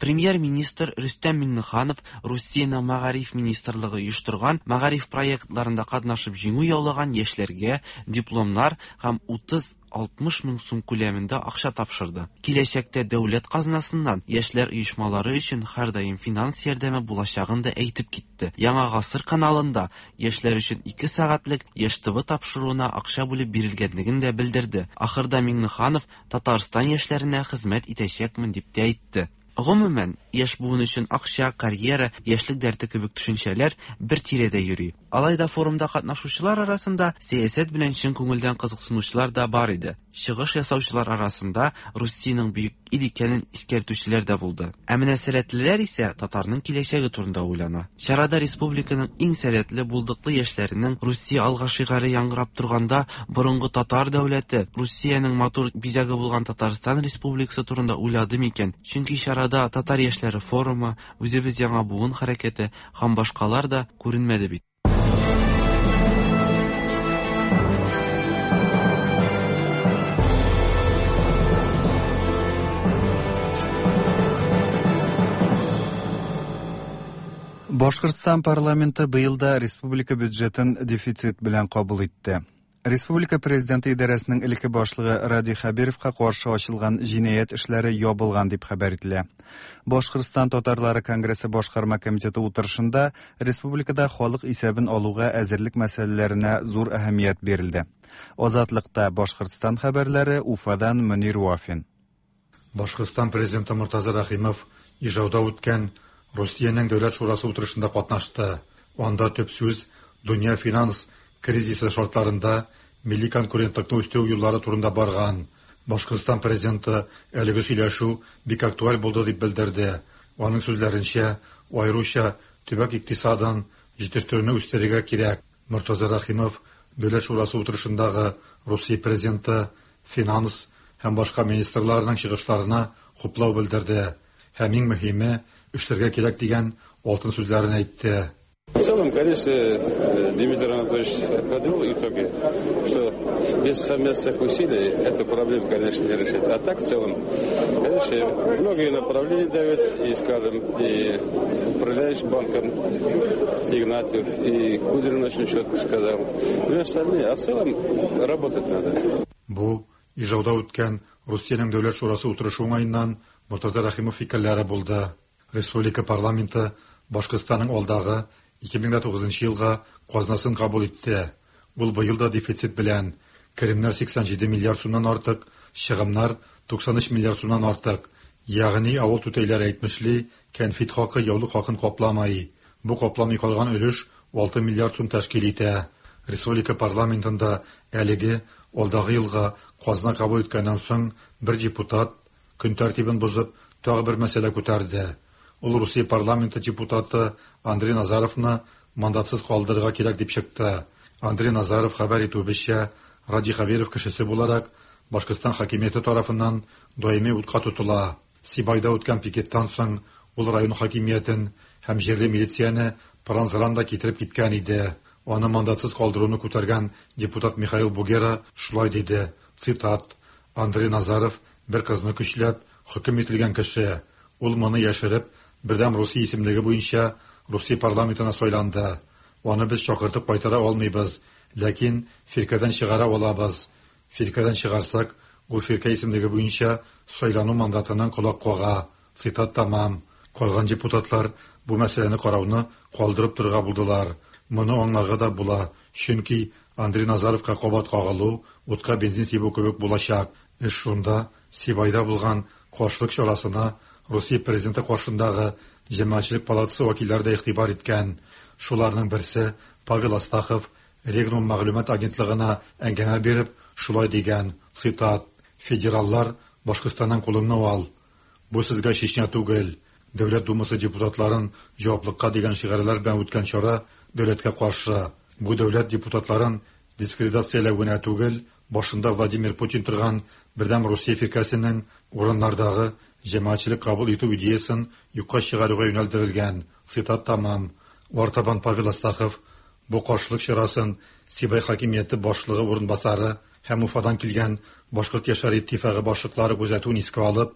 Премьер-министр Рөстәм Миңнеханов Русиянең мәгариф министрлыгы оештырган мәгариф проектларында катнашып җиңү яулаган яшьләргә дипломнар һәм утыз алтмыш мең сум күләмендә акча тапшырды. Киләчәктә дәүләт казнасыннан яшьләр оешмалары өчен һәрдаим финанс ярдәме булачагын да әйтеп китте. Яңа Гасыр каналында яшьләр өчен ике сәгатьлек Яшь ТВ тапшыруына акча бүлеп бирелгәнлеген дә белдерде. Ахырда Миңнеханов Татарстан яшьләренә хезмәт итәчәкмен дип тә әйтте. Гомумән, яшь буын өчен акча, карьера, яшьлек дәрте кебек төшенчәләр бер тирәдә йөри. Алай да форумда катнашучылар арасында сәясәт белән чын күңелдән кызыксынучылар да бар иде. Чыгыш ясаучылар арасында Русиянең бөек ил икәнен искәртүчеләр дә булды. Ә менә сәләтлеләр исә татарның киләчәге турында уйлана. Чарада республиканың иң сәләтле, булдыклы яшьләренең Русия алга шигаре яңгырап торганда борынгы татар дәүләте, Русиянең матур бизәге булган Татарстан Республикасы турында уйлады микән? Чөнки чарада татар яшьләре форумы, үзебез яңа буын хәрәкәте һәм башкалар да күренмәде бит. Башкортстан парламенты быел да республика бюджетын дефицит белән кабул итте. Республика президенты идарәсенең элекке башлыгы Радий Хәбировка каршы ачылган җинаять эшләре ябылган дип хәбәр ителә. Башкортстан татарлары конгрессы башкарма комитеты утырышында республикада халык исәбен алуга әзерлек мәсьәләләренә зур әһәмият бирелде. Азатлыкта Башкортстан хәбәрләре, Уфадан Мөнир Вафин. Башкортстан президенты Муртаза Рәхимов Ижауда үткән Русиянең дәүләт шурасы утырышында катнашты. Анда төп сүз дөнья финанс кризисы шартларында милли конкурентлыкны үстерү юллары турында барган. Башкортстан президенты әлеге сөйләшү бик актуаль булды дип белдерде. Аның сүзләренчә, аеруча төбәк икътисадын җитештерүне үстерергә кирәк. Муртаза Рәхимов дәүләт шурасы утырышындагы Русия президенты, финанс һәм башка министрларының чыгышларына хуплау белдерде. Һәм иң мөһиме, эшләргә кирәк дигән алтын сүзләрен әйтте. В целом, конечно, Дмитрий Анатольевич подвел итоги, что без совместных усилий эту проблему, конечно, не решить. А так, в целом, конечно, многие направления дают, и, скажем, и управляющий банком Игнатьев, и Кудрин очень четко сказал. Ну и остальные. А в целом работать надо. Бу Ижауда үткән Русиянең дәүләт шурасы утырышы уңаеннан Муртаза Рәхимов фикерләре булды. Республика парламенты Башкортстанның алдагы ике мең тугызынчы елга казнасын кабул итте. Ул быел да дефицит белән керемнәр сиксән җиде миллиард сумнан артык, чыгымнар туксан өч миллиард сумнан артык. Ягъни авыл түтәйләре әйтмешли, кәнфит хакы яулык хакын капламай. Бу капламый калган өлеш алты миллиард сум тәшкил итә. Республика парламентында әлеге алдагы елга казна кабул иткәннән соң бер депутат көн тәртибен бозып тагы бер мәсьәлә күтәрде. Ул Русия парламенты депутаты Андрей Назаровны мандатсыз калдырырга кирәк дип чыкты. Андрей Назаров хәбәр итүебезчә, Радий Хәбиров кешесе буларак Башкортстан хакимияте тарафыннан даими утка тотыла. Сибайда үткән пикеттан соң ул район хакимиятен һәм җирле милицияне пыран-зыран да китереп киткән иде. Аны мандатсыз калдыруны күтәргән депутат Михаил Бугера шулай диде, цитат: Андрей Назаров бер кызны көчләп хөкем ителгән кеше. Ул моны яшереп Бердәм Русия исемлеге буенча Русия парламентына сайланды. Аны без чакыртып кайтара алмыйбыз, ләкин фиркәдән чыгара алабыз. Фиркәдән чыгарсак, ул фиркә исемлеге буенча сайлану мандатыннан колак кага. Цитат тамам. Калган депутатлар бу мәсьәләне карауны калдырып торырга булдылар. Моны аңларга да була, чөнки Андрей Назаровка кабат кагылу утка бензин сибү кебек булачак. Эш шунда, Сибайда булган каршылык чарасына Русия президенты каршындагы Җәмәгатьчелек палатасы вәкилләре дә игътибар иткән. Шуларның берсе Павел Астахов Регнум мәгълүмат агентлыгына әңгәмә биреп, шулай дигән, цитат: "Федераллар, Башкортстаннан кулыңны ал. Бу сезгә Чечня түгел. Дәүләт Думасы депутатларын җаваплыкка дигән шигарьләр белән үткән чара дәүләткә каршы. Бу дәүләт депутатларын дискредитацияләү генә түгел, башында Владимир Путин торган Бердәм Русия фиркәсенең урыннардагы җәмәгатьчелек кабул итү идеясын юкка чыгаруга юнәлдерелгән." Цитат тамам. Артабан Павел Астахов бу каршылык чарасын Сибай хакимияте башлыгы урынбасары һәм Уфадан килгән Башкорт яшьләр иттифагы башлыклары күзәтүен искә алып,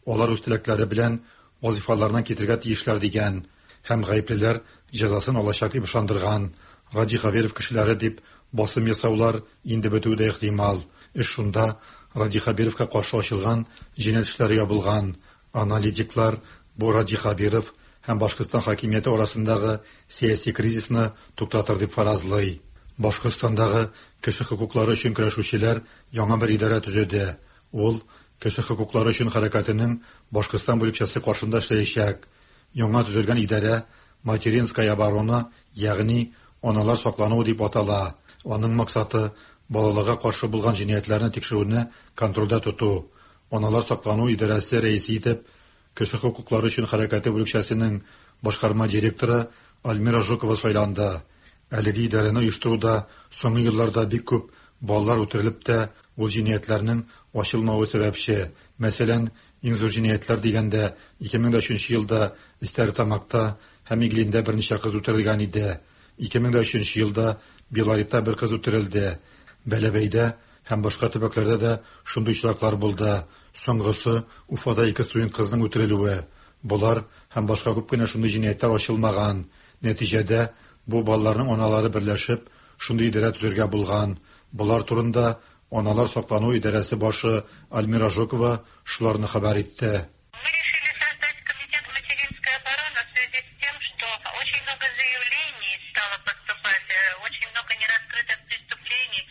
алар үз теләкләре белән вазифаларыннан китергә тиешләр дигән һәм гаеплеләр җәзасын алачак дип ышандырган. Радий Хабиров кешеләре дип басым ясаулар инде бетүе дә ихтимал. Эш шунда, Радий Хабировка каршы ачылган җинаять эшләре ябылган. Аналитиклар бу Радий Хабиров һәм Башкортстан хакимияте арасындагы сәяси кризисны туктатыр дип фаразлый. Башкортстандагы кеше хокуклары өчен көрәшүчеләр яңа бер идарә төзеде. Ул кеше хокуклары өчен хәрәкәтенең Башкортстан бүлекчәсе каршында эшләячәк. Яңа төзелгән идарә Материнская оборона, ягъни аналар саклануы дип атала. Аның максаты балаларга каршы булган җинаятьләрне тикшерүне контрольдә тоту. Аналар саклану идарәсе рәисе итеп кеше хокуклары өчен хәрәкәте бүлекчәсенең башкарма директоры Альмира Жукова сайланды. Әлеге идарәне оештыруда соңгы елларда бик күп балалар үтерелеп тә, ул җинаятьләрнең ачылмавы сәбәпче. Мәсәлән, иң зур җинаятьләр дигәндә ике мең өченче елда Истәртамакта һәм Иглиндә берничә кыз үтерелгән иде. ике мең өченче елда Белоритта бер кыз үтерелде. Бәләбәйдә һәм башка төбәкләрдә дә шундый очраклар булды. Соңгысы Уфада ике студент кызның үтерелүе. Болар һәм башка күп кенә шундый җинаятьләр ачылмаган. Нәтиҗәдә бу балаларның аналары берләшеп шундый идарә төзергә булган. Болар турында аналар саклану идарәсе башы Альмира Жукова шуларны хәбәр итте. Мы решили создать комитет материнской обороны в связи с тем, что очень много заявлений стало поступать, очень много нераскрытых преступлений.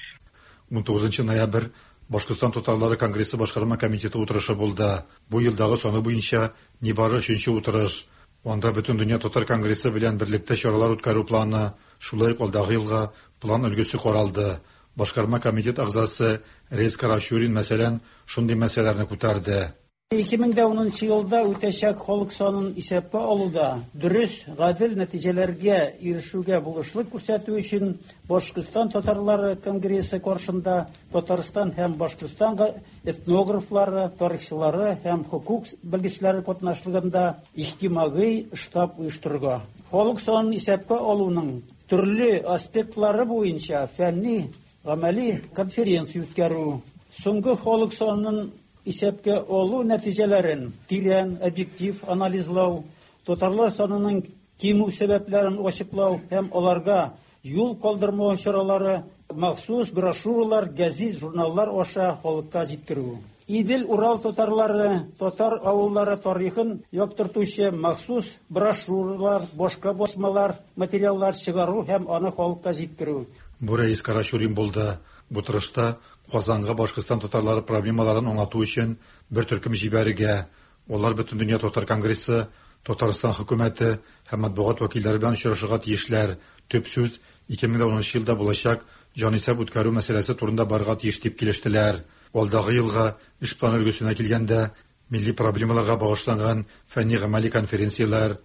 ун тугызынчы ноябрь Башкортстан татарлары конгрессы башкарма комитеты утырышы булды. Бу елдагы саны буенча нибары өченче утырыш. Анда бөтен дөнья татар конгрессы белән берлектә чаралар үткәрү планы, шулай ук алдагы елга план өлгесе каралды. Башкарма комитет әгъзасы Рейс Карачурин, мәсәлән, шундый мәсьәләләрне күтәрде. ике мең унынчы елда үтәчәк халык санын исәпкә алуда дөрес, гадел нәтиҗәләргә ирешүгә булышлык күрсәтү өчен Башкортстан татарлары конгрессы каршында Татарстан һәм Башкортстан этнографлары, тарихчылары һәм хокук белгечләре катнашлыгында иҗтимагый штаб оештырырга. Халык санын исәпкә алуның төрле аспектлары буенча фәнни гамәли конференция үткәрү, соңгы халык санын исәпкә алу нәтиҗәләрен тирән, объектив анализлау, татарлар санының кимү сәбәпләрен ачыклау һәм аларга юл калдырмау чаралары махсус брошюралар, гәзит, журналлар аша халыкка җиткерү. Идел-Урал татарлары, татар авыллары тарихын яктыртучы махсус брошюралар, башка басмалар, материаллар чыгару һәм аны халыкка җиткерү. Бу Рәис Карачурин булды. Бу тырышта Казанга Башкортстан татарлары проблемаларын аңлату өчен бер төркем җибәрергә, алар бөтен дөнья татар конгрессы, Татарстан хөкүмәте һәм матбугат вәкилләре белән очрашырга тиешләр. Төп сүз ике мең унынчы елда булачак җанисәп үткәрү мәсьәләсе турында барырга тиеш дип килештеләр. Алдагы елга эш планы өлгесенә килгәндә милли проблемаларга багышланган фәнни гамәли конференцияләр,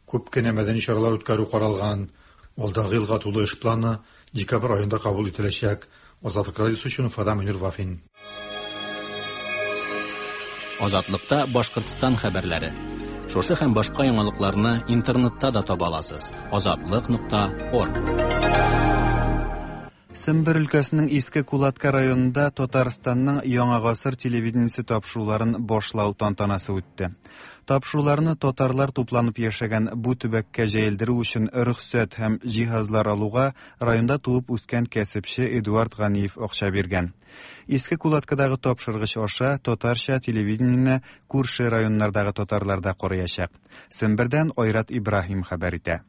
күп кенә мәдәни чаралар үткәрү каралган. Алдагы елга тулы эш планы декабрь аенда кабул ителәчәк. Азатлык радиосы өчен Уфадан Мөнир Вафин. Азатлыкта Башкортстан хәбәрләре. Шушы һәм башка яңалыкларны интернетта да таба аласыз. азатлык нокта орг. Сембер өлкәсенең Иске Кулатка районында Татарстанның Яңа гасыр телевидениесе тапшыруларын башлау тантанасы үтте. Тапшыруларны татарлар тупланып яшәгән бу төбәккә җәелдерү өчен рөхсәт һәм җиһазлар алуга районда туып үскән кәсепче Эдуард Ганиев акча биргән. Иске Кулаткадагы тапшыргыч аша татарча телевидениене күрше районнардагы татарлар да караячак. Сембердән Айрат Ибраһим хәбәр итә.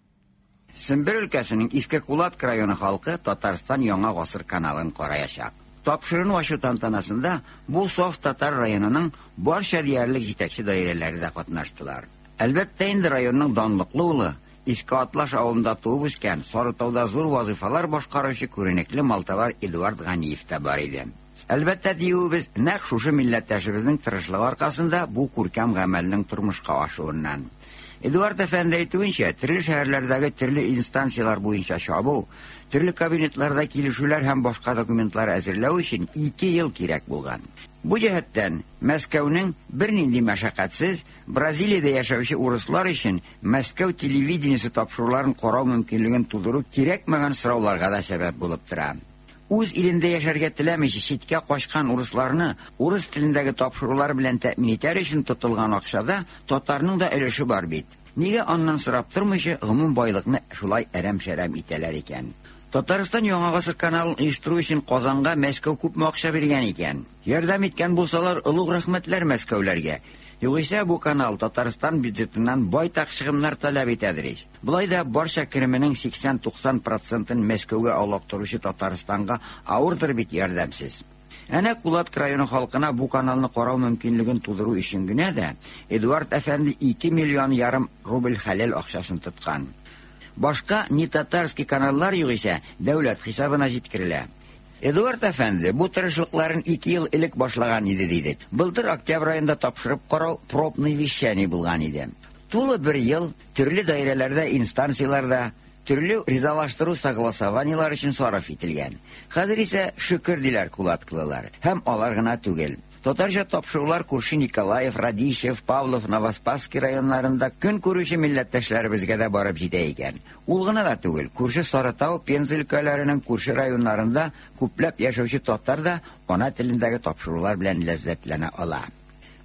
Сембер өлкәсенең Иске Кулатка районы халкы Татарстан Яңа гасыр каналын караячак. Тапшырыну ачу тантанасында бу саф татар районының барча диярлек җитәкче даирәләре дә катнаштылар. Әлбәттә инде районның данлыклы улы Иске Атлаш авылында туып үскән, Сарытауда зур вазифалар башкаручы күренекле малтабар Эдуард Ганиев та бар иде. Әлбәттә, диюебез нәкъ шушы милләттәшебезнең тырышлыгы аркасында бу күркәм гамәлнең тормышка ашуыннан. Эдуард әфәнде әйтүенчә, төрле шәһәрләрдәге төрле инстанцияләр буенча чабу, төрле кабинетларда килешүләр һәм башка документлар әзерләү өчен ике ел кирәк булган. Бу җәһәттән Мәскәүнең бернинди мәшәкатьсез Бразилиядә яшәүче урыслар өчен Мәскәү телевидениесе тапшыруларын карау мөмкинлеген тудыру кирәкмәгән сорауларга да сәбәп булып тора. Үз илендә яшәргә теләмичә читкә качкан урысларны урыс телендәге тапшырулар белән тәэмин итәр өчен тотылган акчада татарның да өлеше бар бит. Нигә аннан сорап тормыйча гомум байлыкны шулай әрәм-шәрәм итәләр икән? Татарстан Яңа Гасыр каналын оештыру өчен Казанга Мәскәү күпме акча биргән икән? Ярдәм иткән булсалар, олуг рәхмәтләр Мәскәүләргә. Югыйсә бу канал Татарстан бюджетыннан байтак чыгымнар таләп итәдер ич. Болай да барча кеременең сиксән-туксан процентын Мәскәүгә алыктыручы Татарстанга авырдыр бит ярдәмсез. Әнә Кулатк районы халкына бу каналны карау мөмкинлеген тудыру өчен генә дә Эдуард әфәнде ике миллион ярым рубль хәләл акчасын тоткан. Башка не татарский каналлар югыйсә дәүләт хисабына җиткерелә. Эдуард әфәнде бу тырышлыкларын ике ел элек башлаган иде дидек. Былтыр октябрь аенда тапшырып карау пробный вещание булган иде. Тулы бер ел төрле даирәләрдә, инстанцияләрдә төрле ризалаштыру согласованиелар өчен сарыф ителгән. Хәзер исә шөкер диләр кулаткылылар. Һәм алар гына түгел. Татарча тапшырулар күрше Николаев, Радищев, Павлов, Новоспасский районнарында көн күрүче милләттәшләребезгә дә барып җитә икән. Ул гына да түгел, күрше Сарытау, Пенза өлкәләренең күрше районнарында күпләп яшәүче татар да ана телендәге тапшырулар белән ләззәтләнә ала.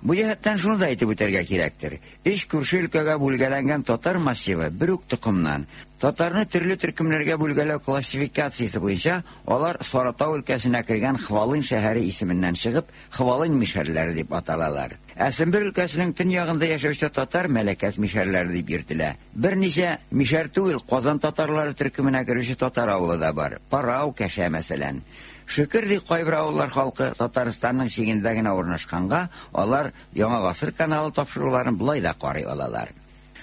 Бу җәһәттән шуны да әйтеп үтәргә кирәктер. Өч күрше өлкәгә бүлгәләнгән татар массивы бер үк токымнан. Татарны төрле төркемнәргә бүлгәләү классификациясе буенча алар Саратау өлкәсенә кергән Хвалын шәһәре исеменнән чыгып, Хвалын мишәрләре дип аталалар. Ә Сембер өлкәсенең төньягында яшәүче татар Мәләкәс мишәрләре дип йөртелә. Берничә мишәр түгел, Казан татарлары төркеменә керүче татар авылы да бар. Парау, Кәшә мәсәлән. Шөкер ди кайбер авыллар халкы Татарстанның чигендә генә урнашканга, алар Яңа Гасыр каналы тапшыруларын болай да карый алалар.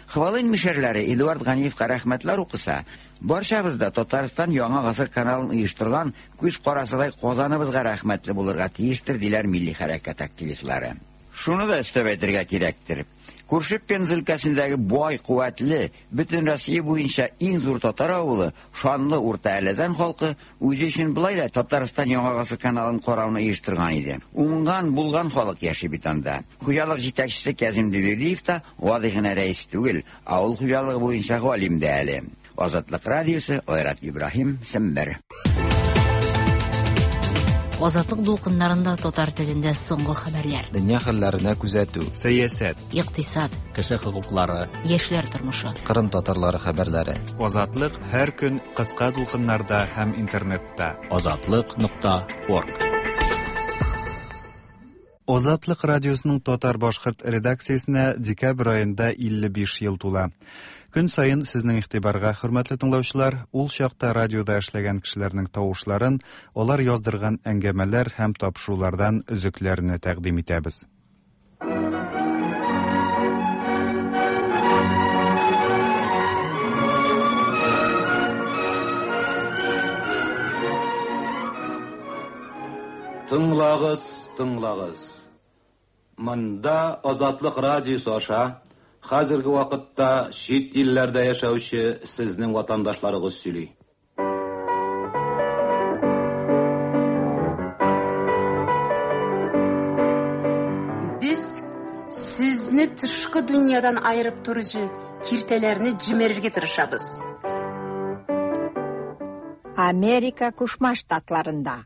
Хвалын мишәрләре Эдуард Ганиевка рәхмәтләр укыса, барчабыз да Татарстан Яңа Гасыр каналын оештырган күз карасыдай Казаныбызга рәхмәтле булырга тиештер, диләр милли хәрәкәт активистлары. Шуны да өстәп әйтергә кирәктер. Күрше Пенза өлкәсендәге бай, куәтле, бөтен Россия буенча иң зур татар авылы, шанлы Урта Әләзән халкы үзе өчен болай да Татарстан Яңа Гасыр каналын карауны оештырган иде. Уңган, булган халык яши бит анда. Хуҗалык җитәкчесе Кязим Дювердиев та гади генә рәис түгел, авыл хуҗалыгы буенча галим дә әле. Азатлык радиосы, Айрат Ибраһим, Сембер. Азатлык дулкыннарында татар телендә соңгы хәбәрләр. Дөнья хәлләренә күзәтү, сәясәт, икътисад, кеше хокуклары, яшьләр тормышы, Кырым татарлары хәбәрләре. Азатлык һәр көн кыска дулкыннарда һәм интернетта. Азатлык нокта орг. Азатлык радиосының татар-башкорт редакциясенә декабрь аенда илле биш ел тула. Көн сайын сезнең игътибарга, хөрмәтле тыңлаучылар, ул чакта радиода эшләгән кешеләрнең тавышларын, алар яздырган әңгәмәләр һәм тапшырулардан өзекләрне тәкъдим итәбез. Тыңлагыз, тыңлагыз. Монда Азатлык радиосы аша хәзерге вакытта чит илләрдә яшәүче сезнең ватандашларыгыз сөйли. Без сезне тышкы дөньядан айырып торучы киртәләрне җимерергә тырышабыз. Америка Кушма Штатларында.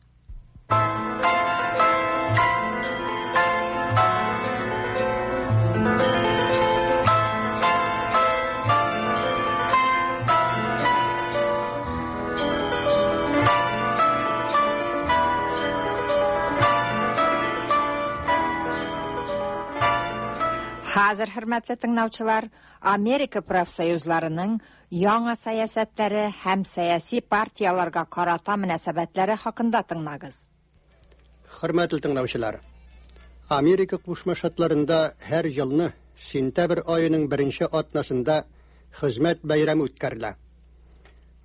Хәзер, хөрмәтле тыңлаучылар, Америка профсоюзларының яңа сәясәтләре һәм сәяси партияларга карата мөнәсәбәтләре хакында тыңлагыз. Хөрмәтле тыңлаучылар, Америка Кушма Штатларында һәр елны сентябрь аеның беренче атнасында Хезмәт бәйрәме үткәрелә.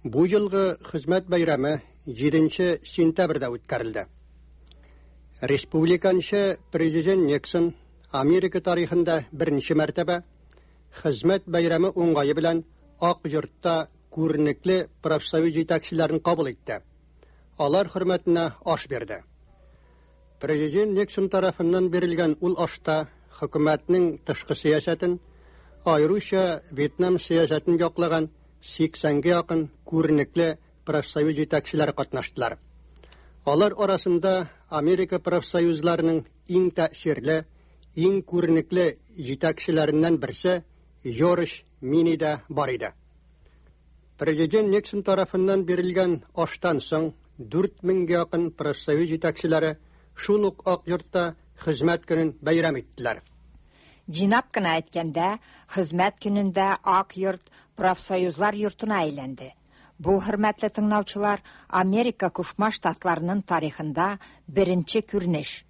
Бу елгы Хезмәт бәйрәме җиденче сентябрьдә үткәрелде. Республиканчы президент Никсон Америка тарихында беренче мәртәбә Хезмәт бәйрәме уңгае белән Ак йортта күренекле профсоюз җитәкчеләрен кабул итте. Алар хөрмәтенә аш бирде. Президент Никсон тарафыннан бирелгән ул ашта хөкүмәтнең тышкы сәясәтен, аеруча Вьетнам сәясәтен яклаган сиксәнгә якын күренекле профсоюз җитәкчеләре катнаштылар. Алар арасында Америка профсоюзларының иң тәэсирле, иң күренекле җитәкчеләреннән берсе Джордж Мини дә бар иде. Президент Никсон тарафыннан бирелгән аштан соң дүрт меңгә якын профсоюз җитәкчеләре шул ук Ак йортта хезмәт көнен бәйрәм иттеләр. Җыйнап кына әйткәндә, хезмәт көнендә Ак йорт профсоюзлар йортына әйләнде. Бу, хөрмәтле тыңлаучылар, Америка Кушма Штатларының тарихында беренче күренеш.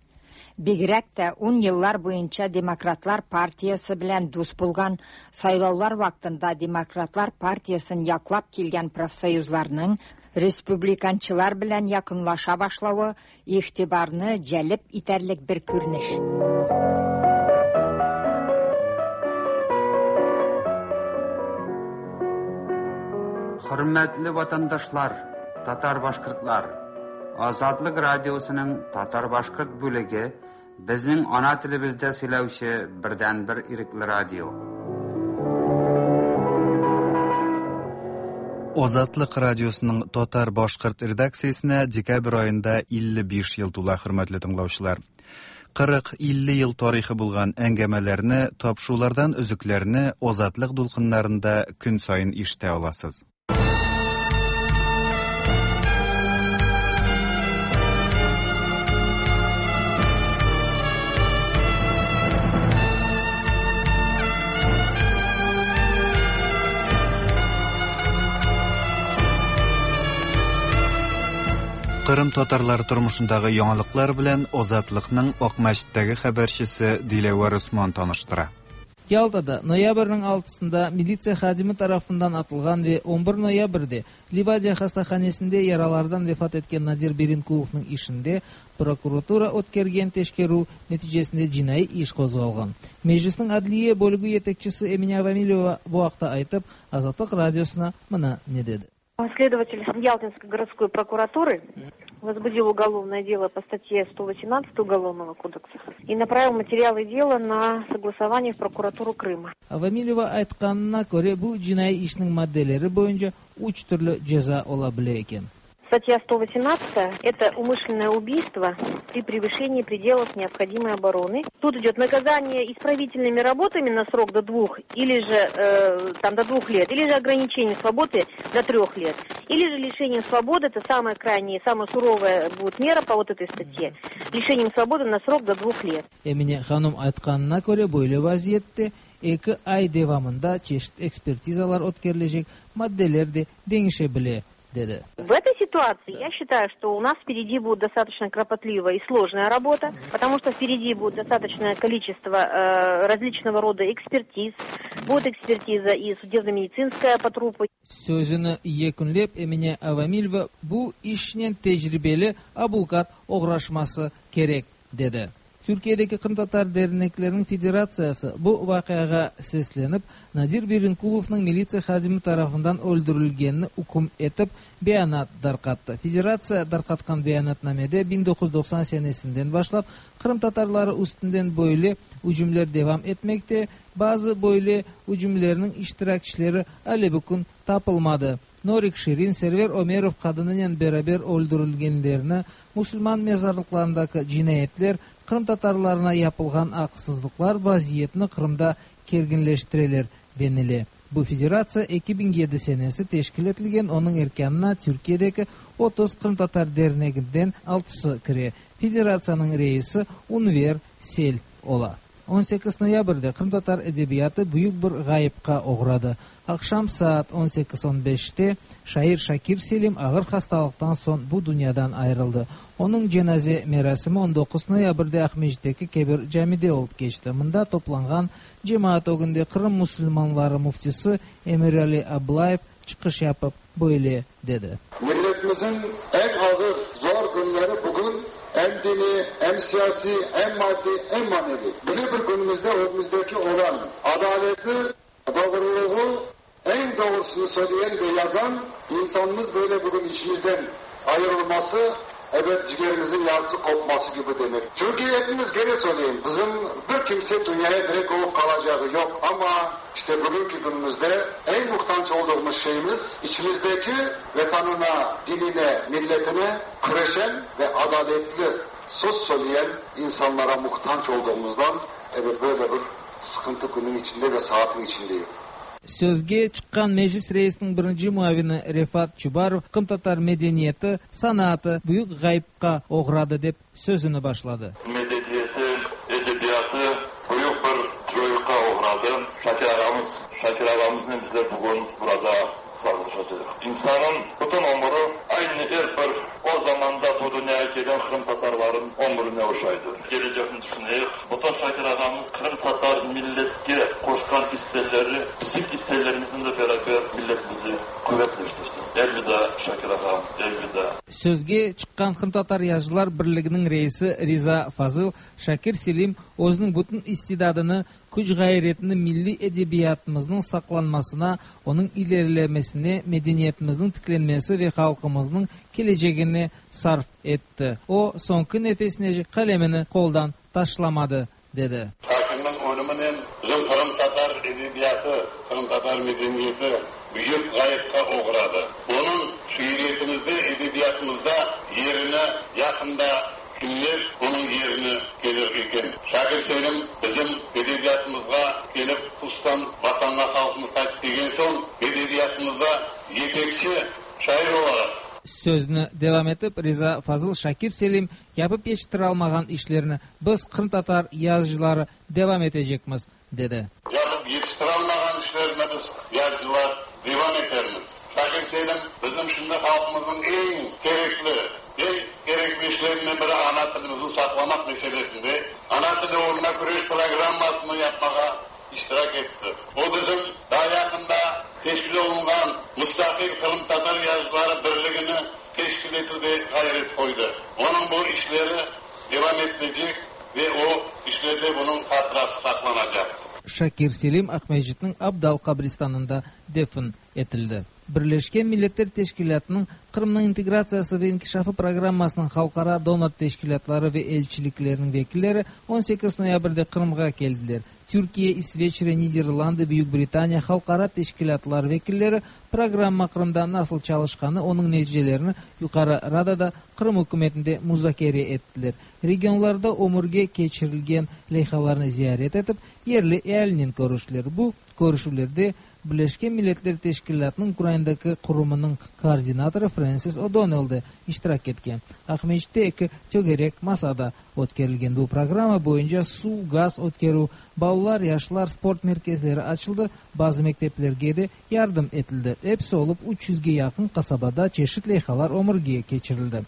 Бигрәк тә ун еллар буенча Демократлар партиясе белән дус булган, сайлаулар вакытында Демократлар партиясен яклап килгән профсоюзларның республиканчылар белән якынлаша башлавы игътибарны җәлеп итәрлек бер күренеш. Хөрмәтле ватандашлар, татар-башкортлар, Азатлык радиосының татар-башкорт бүлеге безнең ана телебездә сөйләүче бердәнбер ирекле радио. Азатлык радиосының татар-башкорт редакциясенә декабрь аенда илле биш ел тула, хөрмәтле тыңлаучылар. Кырык-илле ел тарихы булган әңгәмәләрне, тапшырулардан өзекләрне Азатлык дулкыннарында көн саен ишетә аласыз. Кырым татарлары тормышындагы яңалыклар белән Азатлыкның Акмәчеттәге хәбәрчесе Диләвәр Усман таныштыра. Ялтада ноябрьнең алтысында милиция хадимы тарафыннан атылган ва он бер ноябрьдә Ливадия хастаханәсендә яралардан вафат иткән Надир Беренкуловның ишендә прокуратура үткәргән тешкерү нәтиҗәсендә җинаи эш козгалган. Мәҗлиснең адлия бүлеге җитәкчесе Эминя Вамилева бу хакта әйтеп, Азатлык радиосына моны не диде. Следователь Ялтинской городской прокуратуры возбудил уголовное дело по статье сто восемнадцать Уголовного кодекса и направил материалы дела на согласование в прокуратуру Крыма. Вамилева aytqanına köre, bu cinaiy işniñ maddeleri boyunca üç türlü ceza ola bile eken. Статья сто восемнадцать – это умышленное убийство при превышении пределов необходимой обороны. Тут идет наказание исправительными работами на срок до двух, или же э, там до двух лет, или же ограничение свободы до трех лет, или же лишение свободы, это самая крайняя, самая суровая будет мера по вот этой статье, лишением свободы на срок до двух лет. Эмине ханум aytqanına köre, böyle vaziyette eki ay devamında çeşit ekspertizalar ötkerilecek, maddeler de deñişe bile, dedi. В этой ситуации я считаю, что у нас впереди будет достаточно кропотливая и сложная работа, потому что впереди будет достаточное количество э, различного рода экспертиз, будет экспертиза и судебно-медицинская по трупу. Sözüni yekünlep Emine Avamileva bu işnen tecribeli abukat oğraşması kerek dedi. Türkiye'deki Qırımtatar derneklerinin federatsiyası bu vaqiağa seslenip, Nadir Беренкуловның милиция хадими tarafından öldürülgenini üküm etip beyanat darqattı. Federatsiya darqatqan beyanatnamede bin dokuz yüz doqsan senesinden başlap Qırım Tatarları üstünden böyle hücumlar devam etmekte. Bazı böyle hücumlarının iştirakçileri ale bugün tapılmadı. Norik Şirin, Server Ömerov qadınınen beraber öldürülgenlerini, Müslüman mezarlıklarındaki cinayetler, Qırım Tatarlarına yapılğan aqsızlıqlar vaziyetini Qırımda kerginleştireler denile. Bu federatsiya eki biñ yedi senesi teşkil etilgen, onıñ erkânına Türkiye'deki otuz Qırım Tatar derneginden altısı kire. Federatsiyanıñ reisi Unver Sel ola. On sekiz noyabrde qırımtatar edebiyatı büyük bir ğayıpqa oğradı. Aqşam saat on sekiz on beşte şair Şakir Selim ağır hastalıqtan soñ bu dünyadan ayırıldı. Onıñ cenaze merasimi on doquz noyabrde Aqmescitteki Kebir camide olıp keçti. Mında toplanğan cemaat ögünde Qırım musulmanları müftisi Emirali Ablayev çıqış yapıp böyle dedi. Milletimizin en ağır, zor günleri bugün hem dini, hem siyasi, hem maddi, hem manevi. Böyle bir günümüzde önümüzdeki olan adaleti, doğruluğu, en doğrusunu söyleyen ve yazan insanımız böyle bugün işimizden ayrılması, evet ciğerimizin yarısı kopması gibi demek. Çünkü hepimiz gene söyleyeyim, bizim bir kimse dünyaya direkt olup kalacağı yok ama işte bugünkü günümüzde en muhtaç olduğumuz şeyimiz içimizdeki vatanına, dinine, milletine küreşen ve adaletli söz söyleyen insanlara muhtaç olduğumuzdan evet böyle bir sıkıntı günün içinde ve saatin içindeyiz. Sözge çıqqan Meclis reisiniñ birinci muavini Refat Çubarov qırımtatar medeniyeti, sanatı büyük ğayıpqa oğradı dep sözüni başladı. Medeniyeti, edebiyatı büyük bir coyuqqa oğradı. Şakir ağamız, Şakir ağamıznen bizler bugün burada sağlıqlaşacaq. İnsanın bütün ömrü aynı er bir o zamanda bu dünyaya kelgen qırımtatarların ömrüne oşaydı. Gelecekni düşüneyik. Bütün Şakir ağamız qırımtatar milletke qoşqan hisseleri bizim hisselerimizle beraber milletimizi kuvvetleştirsin. Elvida Şakir ağam, elvida. Sözge çıqqan Qırımtatar Yazıcılar Birliginiñ reisi Riza Fazıl Şakir Selim özüniñ bütün istidadını, küç ğayretini milliy edebiyatımıznıñ saqlanmasına, onıñ ilerilemesine, medeniyetimizniñ tiklenmesi ve halqımıznıñ kelecegine sarf etti. O, soñki nefesine qalemini qoldan taşlamadı, dedi. Şakirniñ ölüminen bizim qırımtatar edebiyatı, qırımtatar medeniyeti büyük ğayıpqa oğradı. Onıñ şiiriyetimizde, edebiyatımızda yerine yaqında kimler onıñ yerine kelir eken. Şakir Selim bizim edebiyatımızğa kelip, hususan vatanğa halqımız qaytıp kelgen soñ edebiyatımızda yetekçi şair olaraq. Sözüni devam etip Riza Fazıl Şakir Selim yapıp yetiştiralmağan işlerini biz qırımtatar yazıcıları devam etecekmiz, dedi. Yapıp yetiştiralmağan işlerini biz yazıcılar devam etermiz. Şakir Selim bizim şimdi halqımıznıñ eñ kerekli, eñ kerekli işlerinden biri ana tilimizni saqlamaq meselesinde ana tili uğruna küreş programmasını yapmağa iştirak etti. O bizim daha yaqında teşkil olunğan Mustaqil Qırımtatar Yazıcıları Birligini teşkil etüvde ğayret qoydı. Onıñ bu işleri devam etilecek ve o işlerde bunıñ hatırası saqlanacaq. Şakir Selim Aqmescitniñ Abdal qabristanında defn etildi. Birleşken Milletler Teşkilâtınıñ Qırımnıñ integratsiyası ve inkişafı programmasınıñ halqara donor teşkilâtları ve elçilikleriniñ vekilleri on sekiz noyabrde Qırımğa keldiler. Türkiye, İsveçre, Niderlandı, Büyük Britaniya halqara teşkilâtlar vekilleri programma Qırımda nasıl çalışqanı, onıñ neticelerini Yuqarı Radada Qırım ükümetinde muzakere ettiler. Regionlarda ömürge keçirilgen leyhalarnı ziyaret etip, yerli ealinen körüştiler. Bu körüşüvlerde Birleşken Milletler Teşkilâtınıñ Ukrainadaki qurumınıñ koordinatorı Frensis O'Donnell de iştirak etken. Aqmescitte eki tögerek masada ötkerilgen bu programma boyunca suv, gaz ötkerüv, balalar, yaşlar sport merkezleri açıldı, bazı mekteplerge de yardım etildi. Episi olıp üç yüzge yaqın qasabada çeşit leyhalar ömürge keçirildi.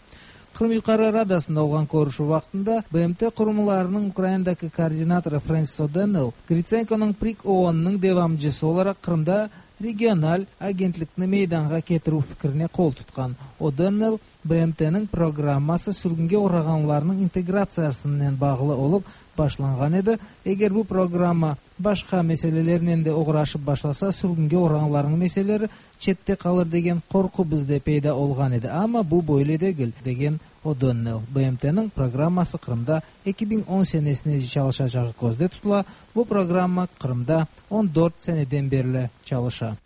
Qırım Yuqarı Radasında olğan körüşüv vaqtında B M T qurumlarınıñ Ukrainadaki koordinatorı Frensis O'Donnell Gritsenkonıñ PRİK OONnıñ devamcısı olaraq Qırımda regional agentlikni meydanğa ketirüv fikrine qol tutqan. O'Donnell B M Tniñ programması sürgünge oğrağanlarnıñ integratsiyasınen bağlı olıp başlanğan edi. Eger bu programma başqa meselelernen de oğraşıp başlasa, sürgünge oğrağanlarnıñ meseleleri çette qalır degen qorqu bizde peyda olğan edi. Amma bu böyle degil, degen O'Donnell. B M Tniñ programması Qırımda eki biñ on senesine çalışacağı közde tutula. Bu programma Qırımda on dört seneden berli çalışa.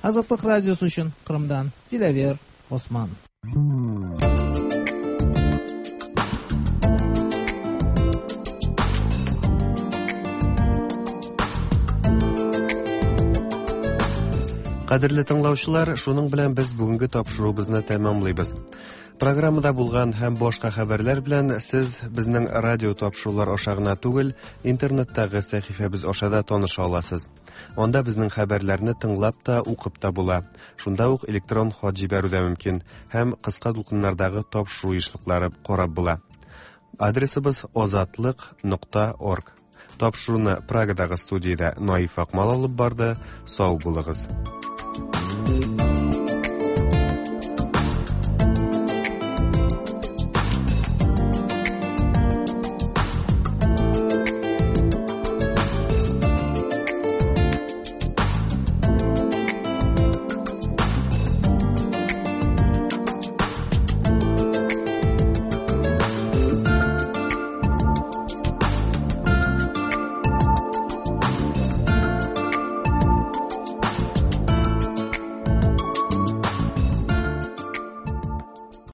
Azatlıq Radiosı içün Qırımdan Dilâver Osman. Кадерле тыңлаучылар, шуның белән без бүгенге тапшыруыбызны тәмамлыйбыз. Программада булган һәм башка хәбәрләр белән сез безнең радио тапшырулар аша гына түгел, интернеттагы сәхифәбез аша да таныша аласыз. Анда безнең хәбәрләрне тыңлап та, укып та була. Шунда ук электрон хат җибәрү дә мөмкин һәм кыска дулкыннардагы тапшыру ешлыклары карап була. Адресыбыз озатлык нокта орг. Тапшыруны Прагадагы студиядә Наиф Акмал алып барды. Сау булыгыз.